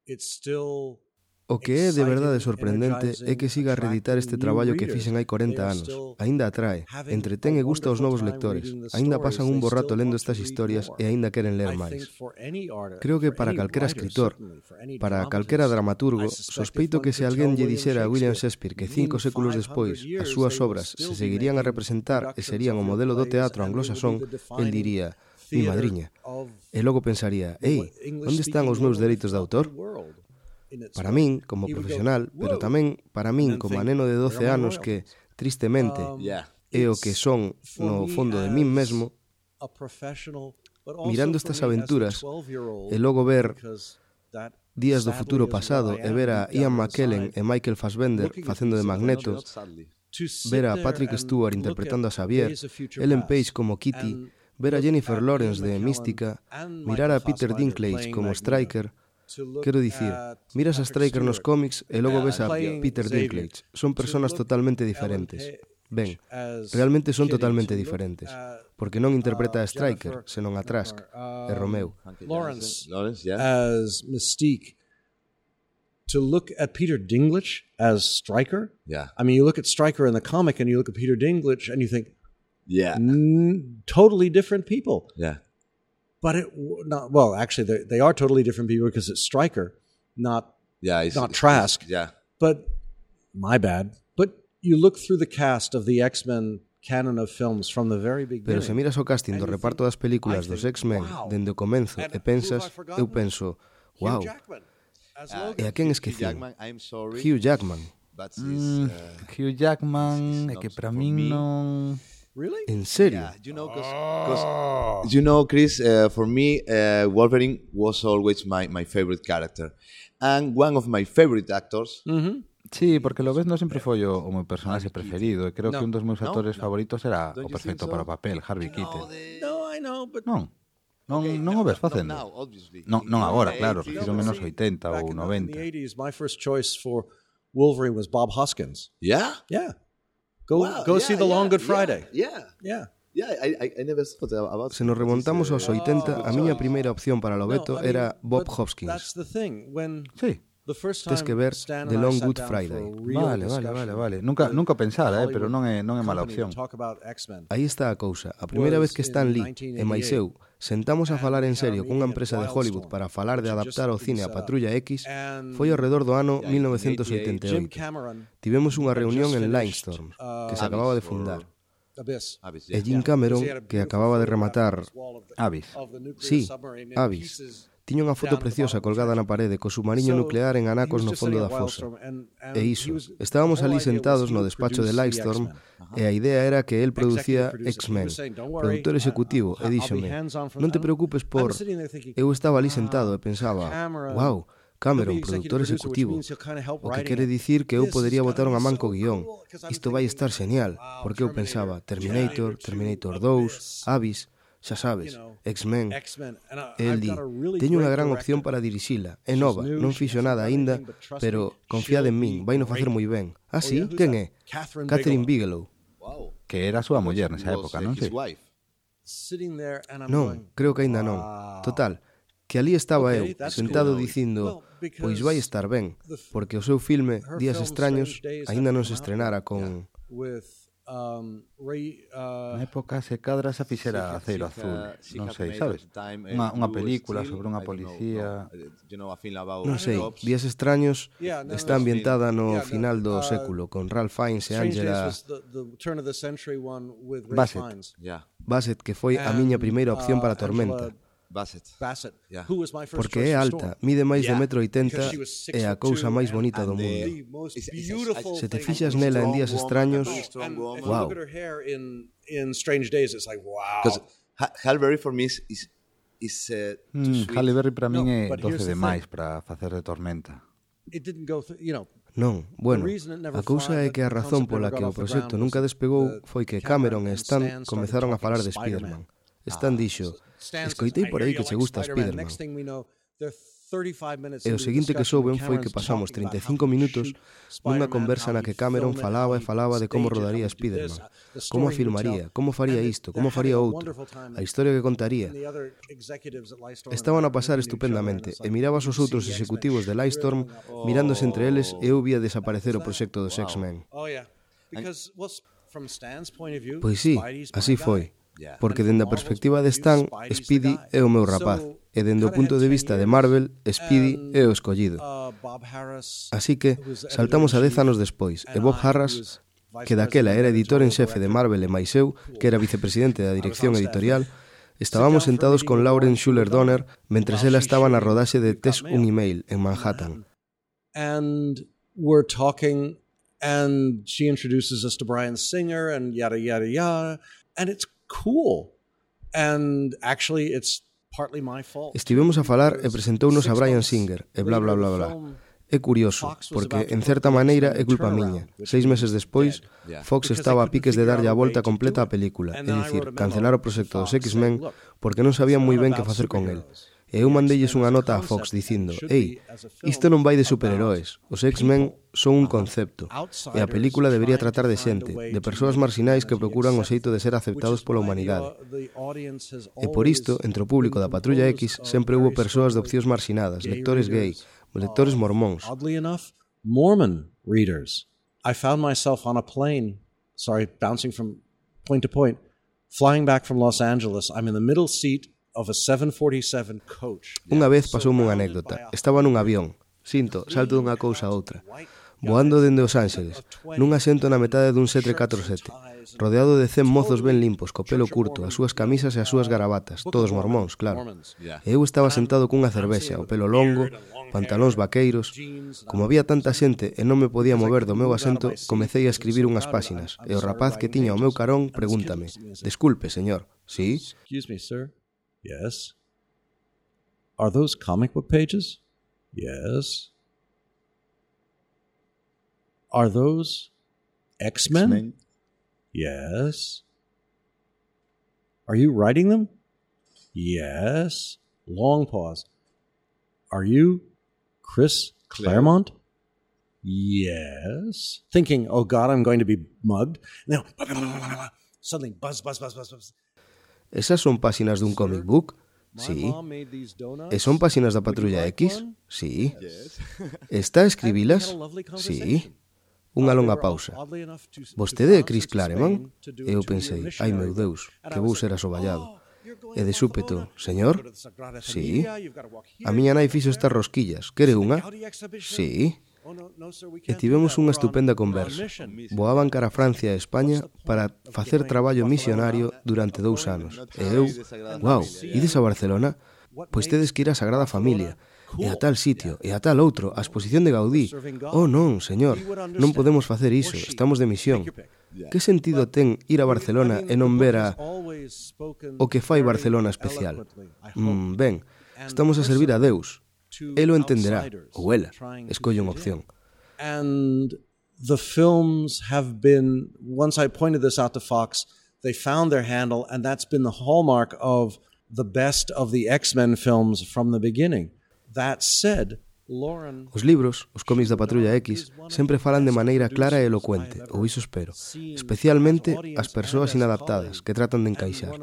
Speaker 6: It's still...
Speaker 3: O que é de verdade sorprendente é que siga a reeditar este traballo que fixen hai 40 anos. Aínda atrae, entretén e gusta aos novos lectores. Aínda pasan un bo rato lendo estas historias e aínda queren ler máis. Creo que para calquera escritor, para calquera dramaturgo, sospeito que se alguén lle dixera a William Shakespeare que 5 séculos despois as súas obras se seguirían a representar e serían o modelo do teatro anglosasón, el diría, mi madriña. E logo pensaría, ei, onde están os meus dereitos de autor? Para min, como profesional, pero tamén para min como neno de 12 anos que, tristemente, é o que son no fondo de min mesmo, mirando estas aventuras e logo ver Días do futuro pasado e ver a Ian McKellen e Michael Fassbender facendo de Magneto, ver a Patrick Stewart interpretando a Xavier, Ellen Page como Kitty, ver a Jennifer Lawrence de Mística, mirar a Peter Dinklage como Stryker. Quero dicir, miras a Stryker nos cómics e logo ves a Peter Dinklage. Son personas totalmente diferentes. Ben, realmente son totalmente diferentes. Porque non interpreta a Stryker, senón a Trask e Romeo.
Speaker 6: Lawrence as Mystique. To look at Peter Dinklage as Stryker?
Speaker 4: Yeah.
Speaker 6: I mean, you look at Stryker in the comic and you look at Peter Dinklage and you think, totally different people.
Speaker 4: Yeah.
Speaker 6: But actually, they are totally different people because it's Stryker, not Trask. But my bad. But you look through the cast of the X-Men canon of films from the very beginning.
Speaker 3: Pero se miras o casting do reparto das películas dos X-Men dende o comenzo e pensas, eu penso, wow. E a quen esquecín? Hugh Jackman.
Speaker 5: Hugh Jackman é que para min non...
Speaker 6: Really?
Speaker 3: En serio?
Speaker 4: Yeah, Chris, for me, Wolverine was always my favorite character. And one of my favorite actors...
Speaker 5: Sí, porque lo ves non sempre foi o meu personaxe preferido e creo que un dos meus actores favoritos era o perfecto para o papel, Harvey Keitel.
Speaker 6: No, I know, but...
Speaker 5: Non o ves facendo. Non agora, claro, refiro menos 80 ou 90.
Speaker 6: In the 80s, my first choice for Wolverine was Bob Hoskins.
Speaker 4: Yeah?
Speaker 6: Yeah. Go see The Long Good Friday.
Speaker 4: Yeah, I never thought about.
Speaker 3: Se nos remontamos aos 80, a miña primeira opción para Lobeto era Bob Hoskins.
Speaker 6: That's the thing.
Speaker 5: Sí.
Speaker 3: Tes que ver The Long Good Friday.
Speaker 5: Vale. Nunca pensara, pero non é mala opción.
Speaker 3: Aí está a cousa. A primeira vez que Stan Lee e máis eu sentamos a falar en serio cunha empresa de Hollywood para falar de adaptar ao cine a Patrulla X foi ao redor do ano 1988. Tivemos unha reunión en Limestorm, que se acababa de fundar. E Jim Cameron, que acababa de rematar
Speaker 5: Abyss.
Speaker 3: Sí, Abyss. Tiña unha foto preciosa colgada na parede co submarino nuclear en anacos no fondo da fosa. E iso, estábamos ali sentados no despacho de Lightstorm e a idea era que el producía X-Men, produtor executivo, e díxome, non te preocupes por... Eu estaba ali sentado e pensaba, wow, Cameron, produtor executivo, o que quere dicir que eu podería botar unha man co guión. Isto vai estar genial, porque eu pensaba Terminator, Terminator 2, Abyss, xa sabes, X-Men. El di, teño unha gran opción para dirixila, é nova, non fixo nada aínda, pero confiade en min, vai no facer moi ben. Ah, sí? Quen é? Catherine Bigelow.
Speaker 5: Que era a súa muller nesa época, non? Sí.
Speaker 3: Non, creo que aínda non. Total, que ali estaba eu, sentado dicindo, pois vai estar ben, porque o seu filme, Días Extraños, aínda non se estrenara con...
Speaker 5: Na época se cadra esa fixera Aceiro Azul, non sei, sabes? Unha película sobre unha policía...
Speaker 3: Non sei, Días Extraños está ambientada no final do século, con Ralph Fiennes e Angela Bassett, que foi a miña primeira opción para Tormenta. Porque é alta, mide máis de 1,80 m e a cousa máis bonita do mundo. Se te fixas nela en Días Extraños, wow.
Speaker 4: Halle Berry for me is
Speaker 5: Halle Berry para min é doce demais para facer de Tormenta.
Speaker 3: Non, bueno, a cousa é que a razón pola que o proxecto nunca despegou foi que Cameron e Stan comezaron a falar de Spider-Man. Stan dixo, escoitei por aí que che gusta Spider-Man. E o seguinte que souben foi que pasamos 35 minutos nunha conversa na que Cameron falaba e falaba de como rodaría Spider-Man, como a filmaría, como faría isto, como faría outro, a historia que contaría. Estaban a pasar estupendamente e mirabas os outros executivos de Lightstorm mirándose entre eles e eu vía desaparecer o proxecto dos X-Men. Pois sí, así foi. Porque dende a perspectiva de Stan, Speedy é o meu rapaz, e dende o punto de vista de Marvel, Speedy é o escollido. Así que saltamos a 10 anos despois, e Bob Harras, que daquela era editor en xefe de Marvel e máis eu, que era vicepresidente da dirección editorial, estábamos sentados con Lauren Schuller Donner mentres ela estaba na rodaxe de Tess un email en Manhattan.
Speaker 6: And we're talking, and she introduces us to Bryan Singer, and yada, yada, yada, and it's cool. And actually it's partly my fault.
Speaker 3: Estivemos a falar e presentounos a Bryan Singer e bla bla bla bla. É curioso, porque en certa maneira é culpa miña. 6 meses despois, Fox estaba a piques de darlle a volta completa á película, é dicir, cancelar o proxecto dos X-Men porque non sabían moi ben que facer con el. E eu mandelles unha nota a Fox dicindo, ei, isto non vai de superheróis, os X-Men son un concepto, e a película debería tratar de xente, de persoas marxinais que procuran o xeito de ser aceptados pola humanidade. E por isto, entre o público da Patrulla X, sempre hubo persoas de opcións marxinadas, lectores gay, lectores mormóns.
Speaker 6: Oddly enough, Mormon readers. I found myself on a plane, bouncing from point to point, flying back from Los Angeles. I'm in the middle seat of a 747 coach.
Speaker 3: Unha vez pasoume unha anécdota. Estaba nun avión. Sinto, salto dunha cousa a outra. Voando dende Os Ángeles, nun asento na metade dun 747, rodeado de 100 mozos ben limpos, co pelo curto, as súas camisas e as súas garabatas, todos mormóns, claro. E eu estaba sentado cunha cervexa, o pelo longo, pantalóns vaqueiros. Como había tanta xente e non me podía mover do meu asento, comecei a escribir unhas páxinas, e o rapaz que tiña o meu carón pregúntame, desculpe, señor, sí?
Speaker 6: Excuse me, sir. Yes. Are those comic book pages? Yes. Are those X-Men? Yes. Are you writing them? Yes. Long pause. Are you Chris Claremont? Yes. Thinking, oh God, I'm going to be mugged. Now, suddenly, buzz.
Speaker 3: Esas son páxinas dun comic book? Sí. E son páxinas da Patrulla X? Sí. Está a escribilas? Sí. Unha longa pausa. Vostede é Chris Claremont? E eu pensei, ai meu Deus, que vou ser asoballado. E de súpeto, señor? Sí. A miña nai fixo estas rosquillas. Quere unha? Sí. E tivemos unha estupenda conversa. Voaban cara a Francia e España para facer traballo misionario durante 2 anos. E eu, wow, ides a Barcelona? pois tedes que ir á Sagrada Familia, e a tal sitio, e a tal outro, a exposición de Gaudí. Oh non, señor, non podemos facer iso, estamos de misión. Que sentido ten ir a Barcelona e non ver o que fai Barcelona especial? Ben, estamos a servir a Deus. Él o entenderá, ou ela, escolle unha opción.
Speaker 6: And the films have been, once I pointed this out to Fox, they found their handle, and that's been the hallmark of the best of the X-Men films from the beginning. That said, Lauren...
Speaker 3: Os libros, os cómics da Patrulla X, sempre falan de maneira clara e elocuente, ou iso espero, especialmente as persoas inadaptadas, que tratan de encaixar.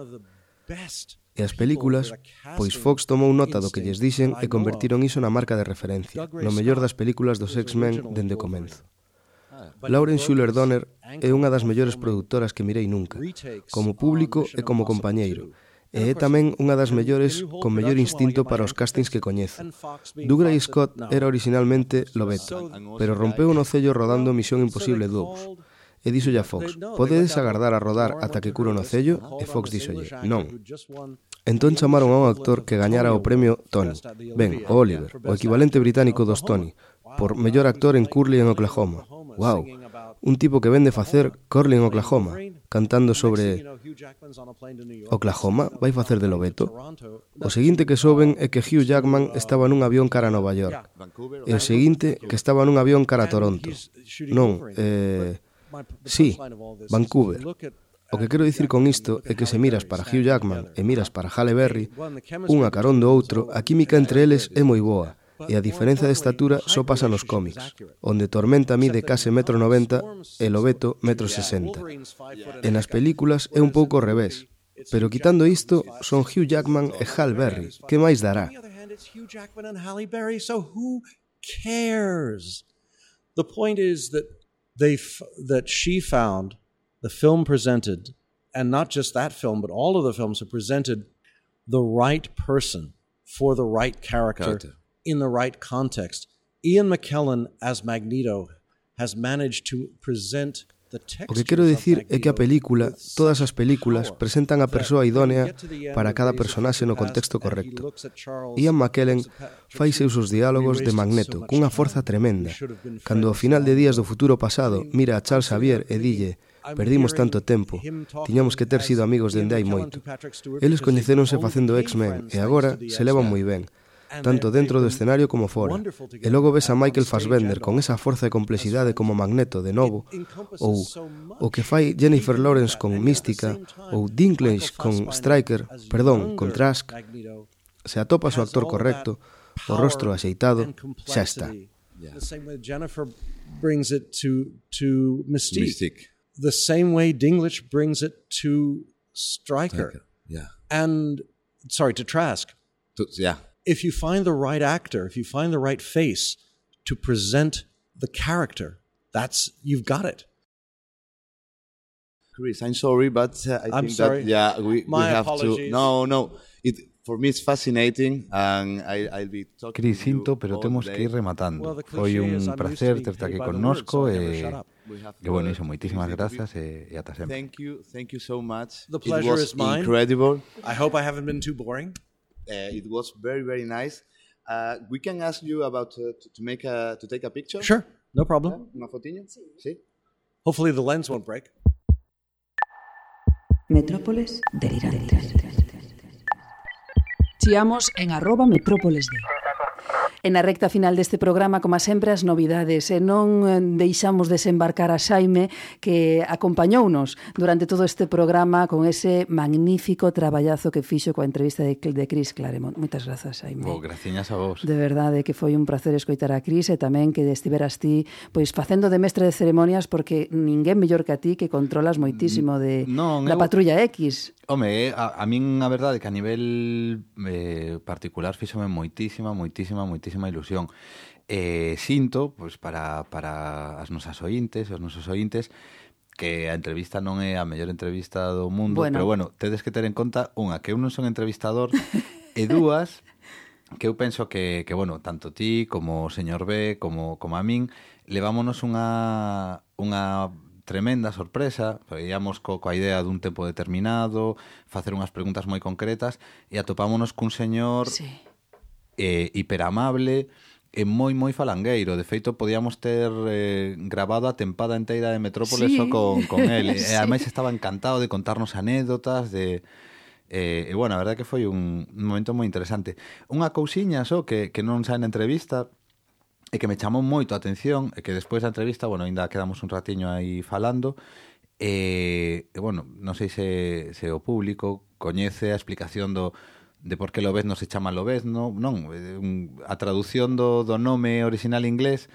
Speaker 3: E as películas, pois Fox tomou nota do que lles dixen e convertiron iso na marca de referencia, no mellor das películas dos X-Men dende o comenzo. Lauren Schuller Donner é unha das mellores produtoras que mirei nunca, como público e como compañeiro, e é tamén unha das mellores con mellor instinto para os castings que coñezo. Dougray Scott era originalmente Lobeto, pero rompeu no cello rodando Misión Imposible 2. E díxolle a Fox, podedes agardar a rodar ata que curo no cello? E Fox díxolle, non. Entón chamaron a un actor que gañara o premio Tony. Ben, o Oliver, o equivalente británico dos Tony, por mellor actor en Curly en Oklahoma. Wow, un tipo que vende facer Curly en Oklahoma, cantando sobre Oklahoma, vai facer de Lobeto. O seguinte que soben é que Hugh Jackman estaba nun avión cara a Nova York. E o seguinte que estaba nun avión cara a Toronto. Non, sí, Vancouver. O que quero dicir con isto é que se miras para Hugh Jackman e miras para Halle Berry, unha carón do outro, a química entre eles é moi boa, e a diferenza de estatura só pasa nos cómics, onde Tormenta mide case 1,90 m e Lobeto 1,60 m. E nas películas é un pouco ao revés, pero quitando isto, son Hugh Jackman e Halle Berry. Que máis dará?
Speaker 6: The point is that she found the film presented, and not just that film, but all of the films have presented the right person for the right character in the right context. Ian McKellen as Magneto has managed to present the textures.
Speaker 3: O que quero dicir é que a película, todas as películas, presentan a persoa idónea para cada personaxe no contexto correcto. Ian McKellen fai seus os diálogos de Magneto cunha forza tremenda. Cando ao final de Días do Futuro Pasado mira a Charles Xavier e dille: perdimos tanto tempo, tiñamos que ter sido amigos dende hai moito. Eles coñecéronse facendo X-Men e agora se levan moi ben, tanto dentro do escenario como fora. E logo ves a Michael Fassbender con esa forza e complexidade como Magneto de novo, ou o que fai Jennifer Lawrence con Mística, ou Dinklage con con Trask. Se atopas o actor correcto, o rostro axeitado, xa está.
Speaker 6: The same way Jennifer brings it to Mystique. The same way Dinklage brings it to Stryker. And, to Trask. If you find the right actor, if you find the right face to present the character, you've got it.
Speaker 4: Chris, I'm sorry, but I think
Speaker 6: sorry.
Speaker 4: that we have
Speaker 6: apologies.
Speaker 4: to. No. For me it's fascinating, and I'll be talking.
Speaker 5: Cris, sinto, pero temos que ir rematando. Foi un placer terte aquí connosco e bueno, iso, moitísimas grazas e ata sempre.
Speaker 4: Thank you so much.
Speaker 6: The pleasure is mine.
Speaker 4: Incredible.
Speaker 6: I hope I haven't been too boring.
Speaker 4: It was very, very nice. We can ask you about to take a picture.
Speaker 6: Sure, no problem.
Speaker 4: Una fotiña? Sí.
Speaker 6: Hopefully the lens won't break.
Speaker 1: Metrópoles delirantes. Chiamos en @metrópolesd. En a recta final deste programa, como sempre, as novidades. E non deixamos desembarcar a Xaime, que acompañounos durante todo este programa con ese magnífico traballazo que fixo coa entrevista de Chris Claremont. Moitas grazas, Xaime.
Speaker 5: Graciñas a vos.
Speaker 1: De verdade, que foi un placer escoitar a Chris e tamén que estiveras ti pois facendo de mestre de ceremonias, porque ninguén mellor que a ti, que controlas moitísimo da Patrulla X.
Speaker 5: Home, a min a verdade que a nivel particular fíxome moitísima ilusión. Sinto, pois, para as nosas ointes e os nosos ointes, que a entrevista non é a mellor entrevista do mundo, pero bueno, tedes que ter en conta, unha, que eu non son entrevistador, e dúas, que eu penso que bueno, tanto ti como o señor B, como a min, levámonos unha tremenda sorpresa, íamos coa idea dun tempo determinado, facer unhas preguntas moi concretas, e atopámonos cun señor hiperamable e moi falangueiro. De feito, podíamos ter grabado a tempada inteira de Metrópoles só con el. E ademais estaba encantado de contarnos anécdotas, e bueno, a verdade que foi un momento moi interesante. Unha cousiña só que non sae na entrevista e que me chamou moito a atención, e que despois da entrevista, bueno, ainda quedamos un ratiño aí falando, e bueno, non sei se o público coñece a explicación de por que Lobezno se chama Lobezno, non, a traducción do nome original inglés,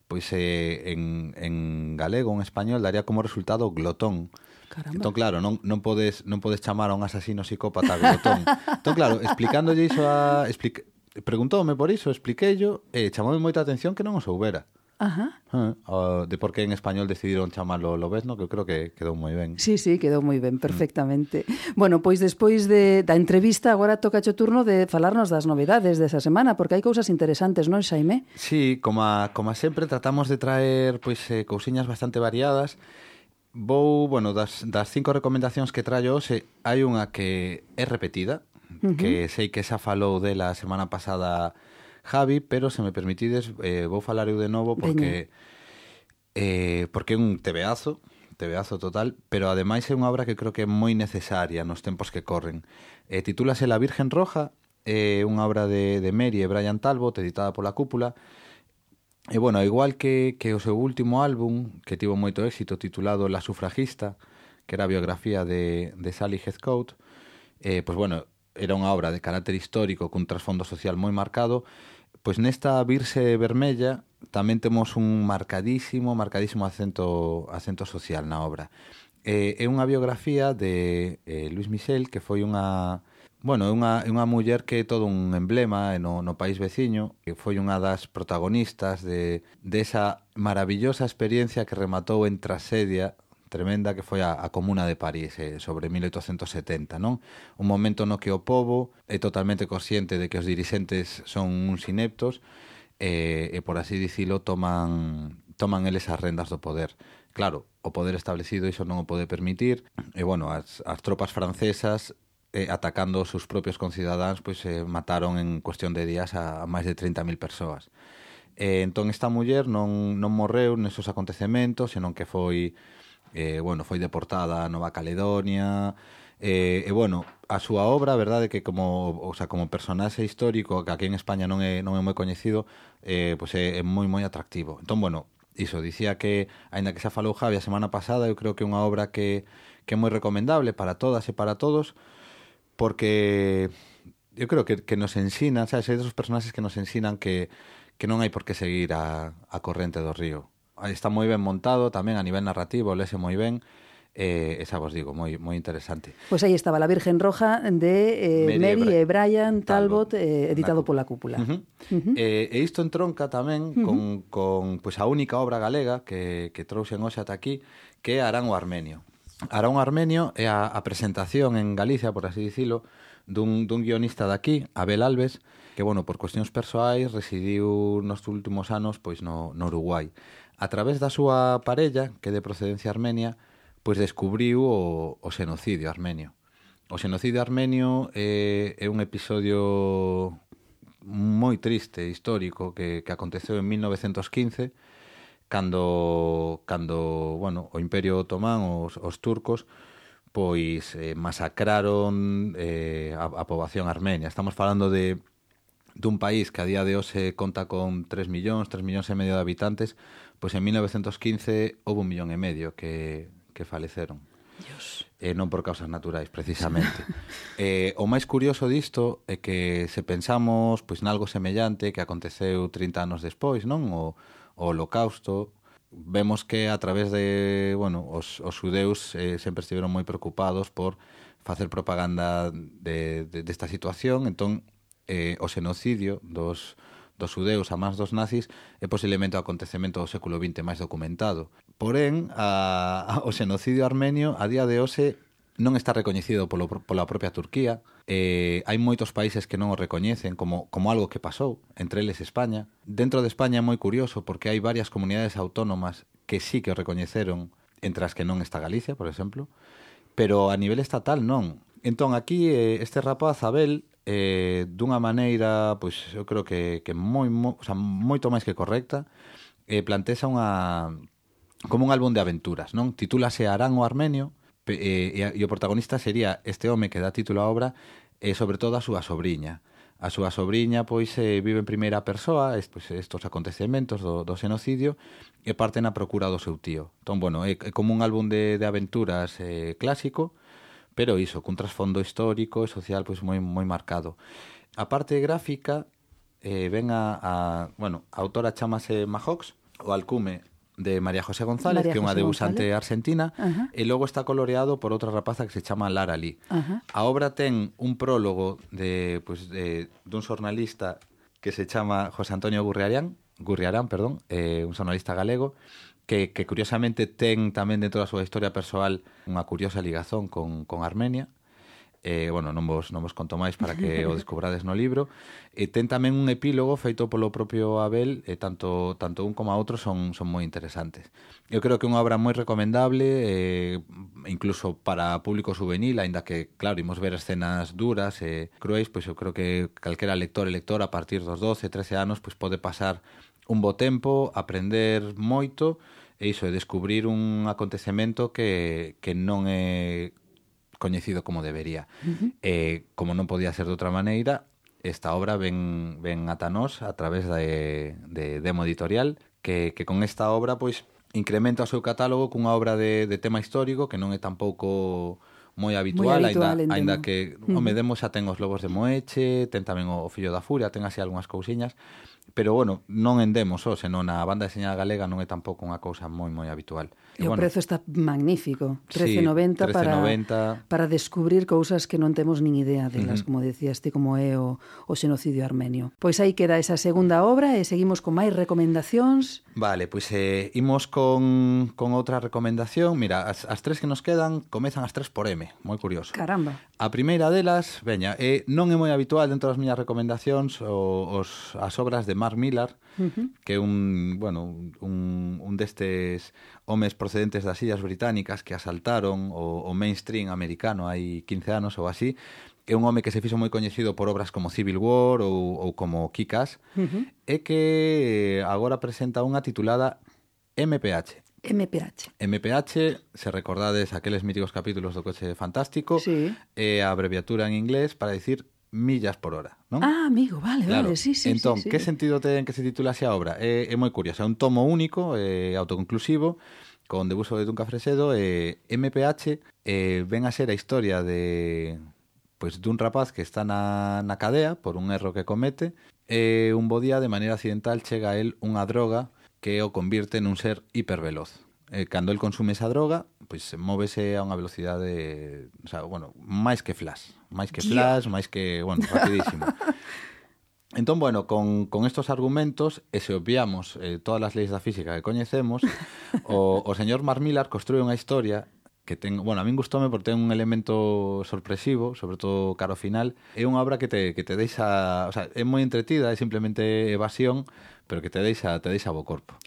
Speaker 5: pois en galego, en español, daría como resultado glotón. Caramba. Entón, claro, non podes chamar a un asasino psicópata glotón. Entón, claro, explicándolle iso preguntoume por iso, expliqueillo, e chamoume moita atención que non o soubera.
Speaker 1: Ajá.
Speaker 5: De por que en español decidiron chamarlo Lobezno, que eu creo que quedou moi ben.
Speaker 1: Sí, quedou moi ben, perfectamente. Bueno, pois despois da entrevista, agora toca o turno de falarnos das novedades desa semana, porque hai cousas interesantes, non, Xaime?
Speaker 5: Sí, como sempre, tratamos de traer cousiñas bastante variadas. Das 5 recomendacións que traio hoxe, hai unha que é repetida, que sei que xa falou dela a semana pasada Javi, pero se me permitides vou falar eu de novo porque é un tebeazo total, pero ademais é unha obra que creo que é moi necesaria nos tempos que corren. Titúlase La Virgen Roja, é unha obra de Mary e Brian Talbot, editada pola Cúpula. E bueno, igual que o seu último álbum, que tivo moito éxito, titulado La Sufragista, que era a biografía de Sally Heathcote, pois bueno, era unha obra de carácter histórico cun trasfondo social moi marcado. Pois nesta Virse Vermella tamén temos un marcadísimo acento social na obra. É unha biografía de Louise Michel, que foi unha muller que é todo un emblema no país veciño, que foi unha das protagonistas de esa maravillosa experiencia que rematou en tragedia tremenda que foi a Comuna de París sobre 1870, non? Un momento no que o pobo é totalmente consciente de que os dirixentes son uns ineptos e por así dicilo, toman eles as rendas do poder. Claro, o poder establecido iso non o pode permitir, e bueno, as tropas francesas atacando os seus propios concidadáns, pois mataron en cuestión de días a máis de 30.000 persoas. Entón esta muller non morreu nesos acontecementos, senón que foi deportada a Nova Caledonia, a súa obra, a verdade, que como personaxe histórico, que aquí en España non é moi coñecido, pois é moi atractivo. Entón, iso, dicía que, aínda que xa falou Javi a semana pasada, eu creo que é unha obra que é moi recomendable para todas e para todos, porque eu creo que nos ensina, sabes, hai desos personaxes que nos ensinan que non hai por que seguir a corrente do río. Está moi ben montado tamén a nivel narrativo, lese moi ben, esa vos digo, moi interesante.
Speaker 1: Pois aí estaba La Virgen Roja de Mary e Brian Talbot, editado pola Cúpula.
Speaker 5: E isto entronca tamén con a única obra galega que trouxen hoxe ata aquí, que é Arán o Armenio. Arán o Armenio é a presentación en Galicia, por así dicilo, dun guionista daqui, Abel Alves, que, por cuestións persoais residiu nos últimos anos pois no Uruguai. A través da súa parella, que é de procedencia armenia, pois descubriu o xenocidio armenio. O xenocidio armenio é un episodio moi triste, histórico, que aconteceu en 1915, cando o Imperio Otomán, os turcos, pois masacraron a poboación armenia. Estamos falando dun país que a día de hoxe conta con 3 millóns e medio de habitantes, pois en 1915 houve 1,5 millón que faleceron.
Speaker 1: Dios.
Speaker 5: Non por causas naturais, precisamente. O máis curioso disto é que se pensamos pois nalgo semellante que aconteceu 30 anos despois, non? O Holocausto, vemos que a través de, os xudeus sempre estiveron moi preocupados por facer propaganda desta situación. Entón, o xenocidio dos xudeus a mans dos nazis é posiblemente o acontecemento do século XX máis documentado. Porén, o xenocidio armenio a día de hoxe non está recoñecido pola propia Turquía. Hai moitos países que non o recoñecen como algo que pasou, entre eles España. Dentro de España é moi curioso porque hai varias comunidades autónomas que sí que o recoñeceron entre as que non está Galicia, por exemplo, pero a nivel estatal non. Entón, aquí, este rapaz, Abel, dunha maneira, pois, eu creo que o sea, moito máis que correcta, plantexa como un álbum de aventuras, non? Titúlase Arán o Armenio, e o protagonista sería este home que dá título á obra, sobre todo a súa sobriña. A súa sobriña, pois, vive en primeira persoa estos acontecementos do xenocidio e parte na procura do seu tío. Entón, bueno, é como un álbum de aventuras clásico, pero iso, cun trasfondo histórico e social pois moi marcado. A parte gráfica ven a autora chamase Majox, o alcume de María José González, que é unha dibujante argentina, e logo está coloreado por outra rapaza que se chama Lara Lee. A obra ten un prólogo dun xornalista que se chama José Antonio Gurriarán, un xornalista galego, que curiosamente ten tamén dentro da súa historia persoal unha curiosa ligazón con Armenia. Non vos conto máis para que o descubrades no libro. Ten tamén un epílogo feito polo propio Abel, tanto un como a outro son moi interesantes. Eu creo que é unha obra moi recomendable, incluso para público juvenil, aínda que, claro, imos ver escenas duras e cruéis, pois eu creo que calquera lector e lectora a partir dos 12, 13 anos pois pode pasar un bo tempo, aprender moito e iso, descubrir un acontecemento que non é coñecido como debería. Como non podía ser de outra maneira, esta obra ven ata nós a través de Demo Editorial, que con esta obra pois incrementa o seu catálogo cunha obra de tema histórico que non é tampouco moi habitual, aínda que Demo xa ten os Lobos de Moeche, ten tamén o Fillo da Furia, ten así algunhas cousiñas, pero non en Demo só, senón a banda deseñada galega non é tampouco unha cousa moi habitual.
Speaker 1: E o prezo está magnífico, 13,90 para descubrir cousas que non temos nin idea delas, como decías ti, como é o xenocidio armenio. Pois aí queda esa segunda obra e seguimos con máis recomendacións. Vale,
Speaker 5: pois imos con outra recomendación. Mira, as tres que nos quedan comezan as tres por M, moi curioso.
Speaker 1: Caramba.
Speaker 5: A primeira delas, non é moi habitual dentro das miñas recomendacións as obras de Mark Millar, que é un destes homes procedentes das Illas Británicas que asaltaron o mainstream americano hai 15 anos ou así. É un home que se fixo moi coñecido por obras como Civil War ou como Kick-Ass, e que agora presenta unha titulada MPH. MPH, se recordades aqueles míticos capítulos do Coche Fantástico, é a abreviatura en inglés para dicir millas por hora, non?
Speaker 1: Ah, amigo, vale, sí.
Speaker 5: Entón, que sentido ten que se titulase a obra? É moi curiosa, é un tomo único, autoconclusivo, con debuxo de Dunca Fresedo, MPH ven a ser a historia dun rapaz que está na cadea por un erro que comete, e un bo día, de maneira accidental, chega a él unha droga que o convirte nun ser hiperveloz. Cando el consume esa droga, pois móvese a unha velocidade, máis que flash, máis que rapidísimo. Entón, con estos argumentos, e se obviamos todas as leis da física que coñecemos, o señor Mark Millar construe unha historia que ten, a min gustoume porque ten un elemento sorpresivo, sobre todo cara ao final. É unha obra que te deixa, é moi entretida, é simplemente evasión, pero que te deixa bo corpo.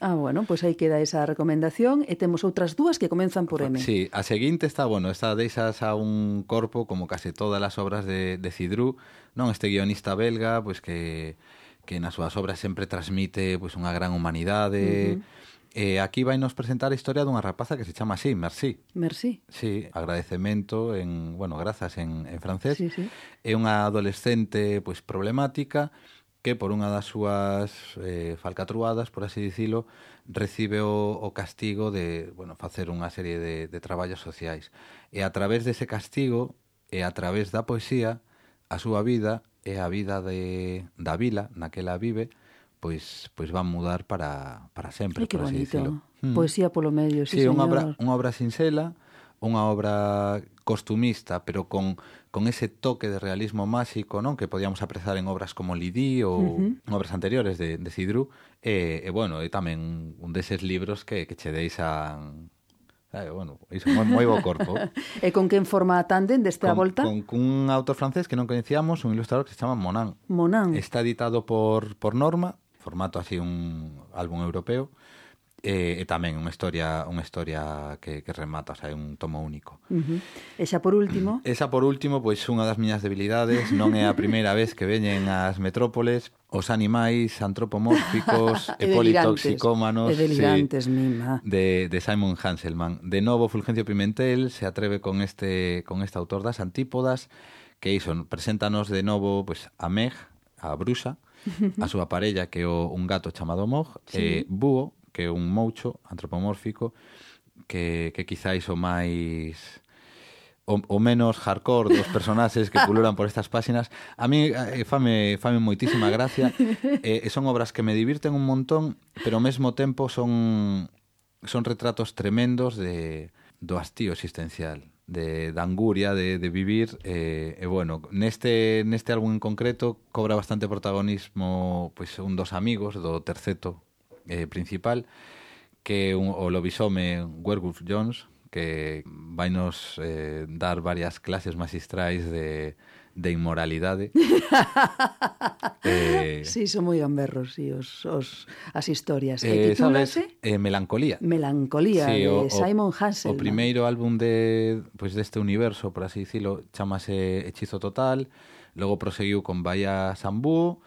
Speaker 1: Pois aí queda esa recomendación, e temos outras dúas que comenzan por M.
Speaker 5: Sí, a seguinte esta deixas a un corpo como case todas as obras de Cidru, non? Este guionista belga, pois que nas súas obras sempre transmite pois unha gran humanidade. Aquí vai nos presentar a historia dunha rapaza que se chama así, Merci. Sí, agradecemento grazas en francés.
Speaker 1: Sí.
Speaker 5: É unha adolescente pois problemática que por unha das súas falcatruadas, por así dicilo, recibe o castigo de facer unha serie de traballos sociais. E a través dese castigo e a través da poesía, a súa vida e a vida da vila na que ela vive pois van mudar para sempre, por así dicilo.
Speaker 1: Poesía polo medio, sí,
Speaker 5: señor.
Speaker 1: Unha
Speaker 5: obra sinxela, unha obra costumista, pero con ese toque de realismo máxico, non? Que podíamos apreciar en obras como Lydie ou obras anteriores de Cidru, e tamén un deses libros que che deixan iso, moi bo corpo.
Speaker 1: E con quen forma a tándem desta volta?
Speaker 5: Con un autor francés que non coñecíamos, un ilustrador que se chama Monan.
Speaker 1: Monan.
Speaker 5: Está editado por Norma, formato así un álbum europeo, e tamén unha historia que remata, o sea, é un tomo único.
Speaker 1: E xa por último?
Speaker 5: Esa por último, pois unha das miñas debilidades, non é a primeira vez que veñen ás metrópoles os animais antropomórficos e politoxicómanos de Simon Hanselman. De novo, Fulgencio Pimentel se atreve con este autor das antípodas, que iso, preséntanos de novo pois, a Meg, a bruxa, a súa parella, que é un gato chamado Mog, e Búho, que é un moucho antropomórfico, que quizáis o máis... o menos hardcore dos personaxes que pululan por estas páxinas. A mí fame moitísima gracia, son obras que me divirten un montón, pero ao mesmo tempo son retratos tremendos do hastío existencial, da anguria de vivir, e bueno, neste álbum en concreto cobra bastante protagonismo pois un dos amigos do terceto principal, que é o lobisome Werewolf Jones, que vai nos dar varias clases magistrais de inmoralidade.
Speaker 1: Sí, son moi gamberros as historias.
Speaker 5: Sabes? Melancolía.
Speaker 1: Melancolía, sí, de Simon Hanselman.
Speaker 5: O primeiro álbum deste universo, por así dicilo, chamase Hechizo Total, logo proseguiu con Bahía Sambú,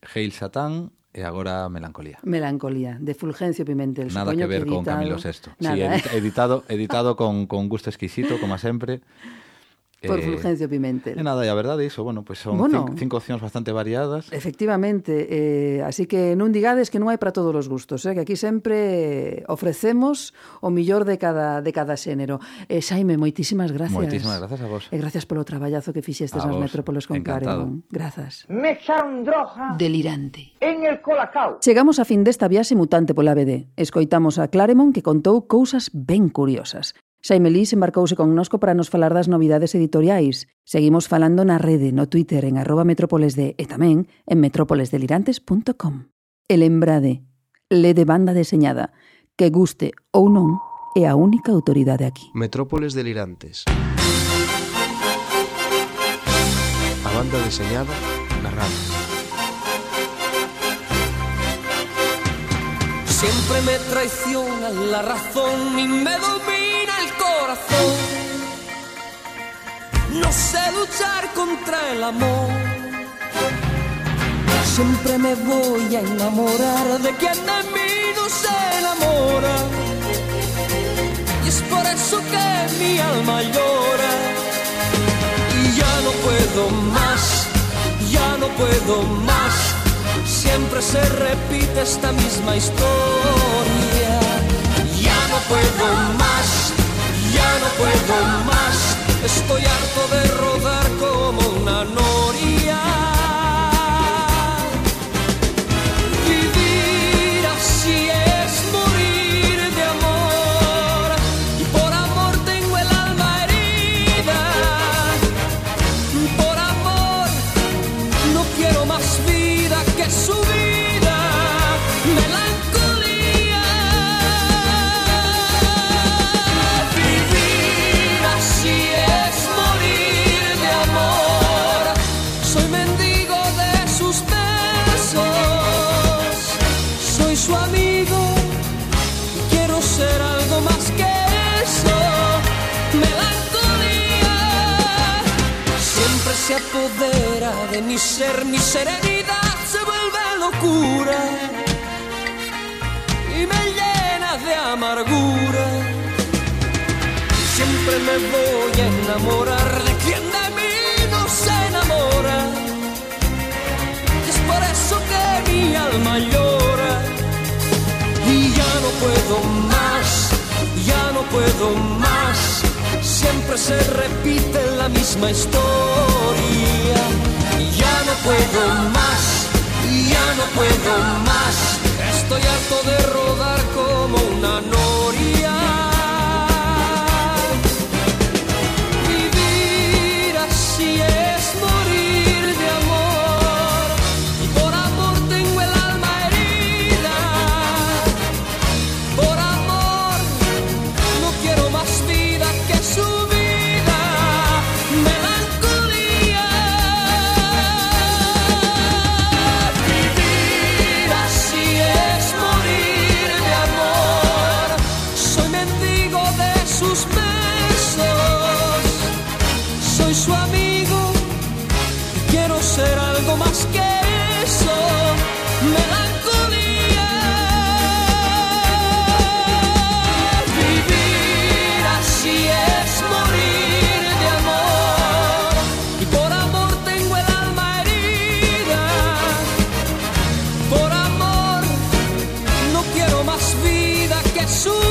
Speaker 5: Hail Satán, e agora Melancolía.
Speaker 1: Melancolía, de Fulgencio Pimentel.
Speaker 5: Nada que ver con Camilo VI. Nada, sí, editado con gusto exquisito, como sempre.
Speaker 1: Por Fulgencio Pimentel.
Speaker 5: E nada, e a verdade iso, bueno, pues son cinco opcións bastante variadas.
Speaker 1: Efectivamente, así que non digades que non hai para todos os gustos, que aquí sempre ofrecemos o millor de cada xénero. Xaime, moitísimas gracias.
Speaker 5: Moitísimas gracias a vos.
Speaker 1: E gracias polo traballazo que fixestes nas metrópoles con Claremont. Grazas.
Speaker 7: Me echaron droga
Speaker 1: delirante
Speaker 7: en el Colacao.
Speaker 1: Chegamos a fin desta viaxe mutante pola BD. Escoitamos a Claremont, que contou cousas ben curiosas. Xaime Lís embarcouse connosco para nos falar das novidades editoriais. Seguimos falando na rede, no Twitter, en @metrópolesd e tamén en metrópolesdelirantes.com. E lembrade, lede banda deseñada, que guste ou non, é a única autoridade aquí.
Speaker 3: Metrópoles Delirantes. A banda deseñada na radio.
Speaker 2: Siempre me traiciona la razón y me domina el corazón. No sé luchar contra el amor. Siempre me voy a enamorar de quien de mí no se enamora. Y es por eso que mi alma llora. Y ya no puedo más, ya no puedo más. Siempre se repite esta misma historia. Ya no puedo más, ya no puedo más. Estoy harto de rodar como una noria. Vivir así es morir de amor. Y por amor tengo el alma herida. Por amor no quiero más vida que su vida, melancolía. Vivir así es morir de amor. Soy mendigo de sus besos, soy su amigo y quiero ser algo más que eso, melancolía. Siempre se apodera de mi ser, mi serenidad se vuelve locura y me llena de amargura. Siempre me voy a enamorar de quien de mí no se enamora. Y es por eso que mi alma llora. Y ya no puedo más, ya no puedo más. Siempre se repite la misma historia. Ya no puedo más, ya no puedo más. Estoy harto de rodar como una noria. Vivir así es morir de amor. Y por amor tengo el alma herida. Por amor no quiero más vida que su vida, melancolía. Vivir así es morir de amor. Jesús.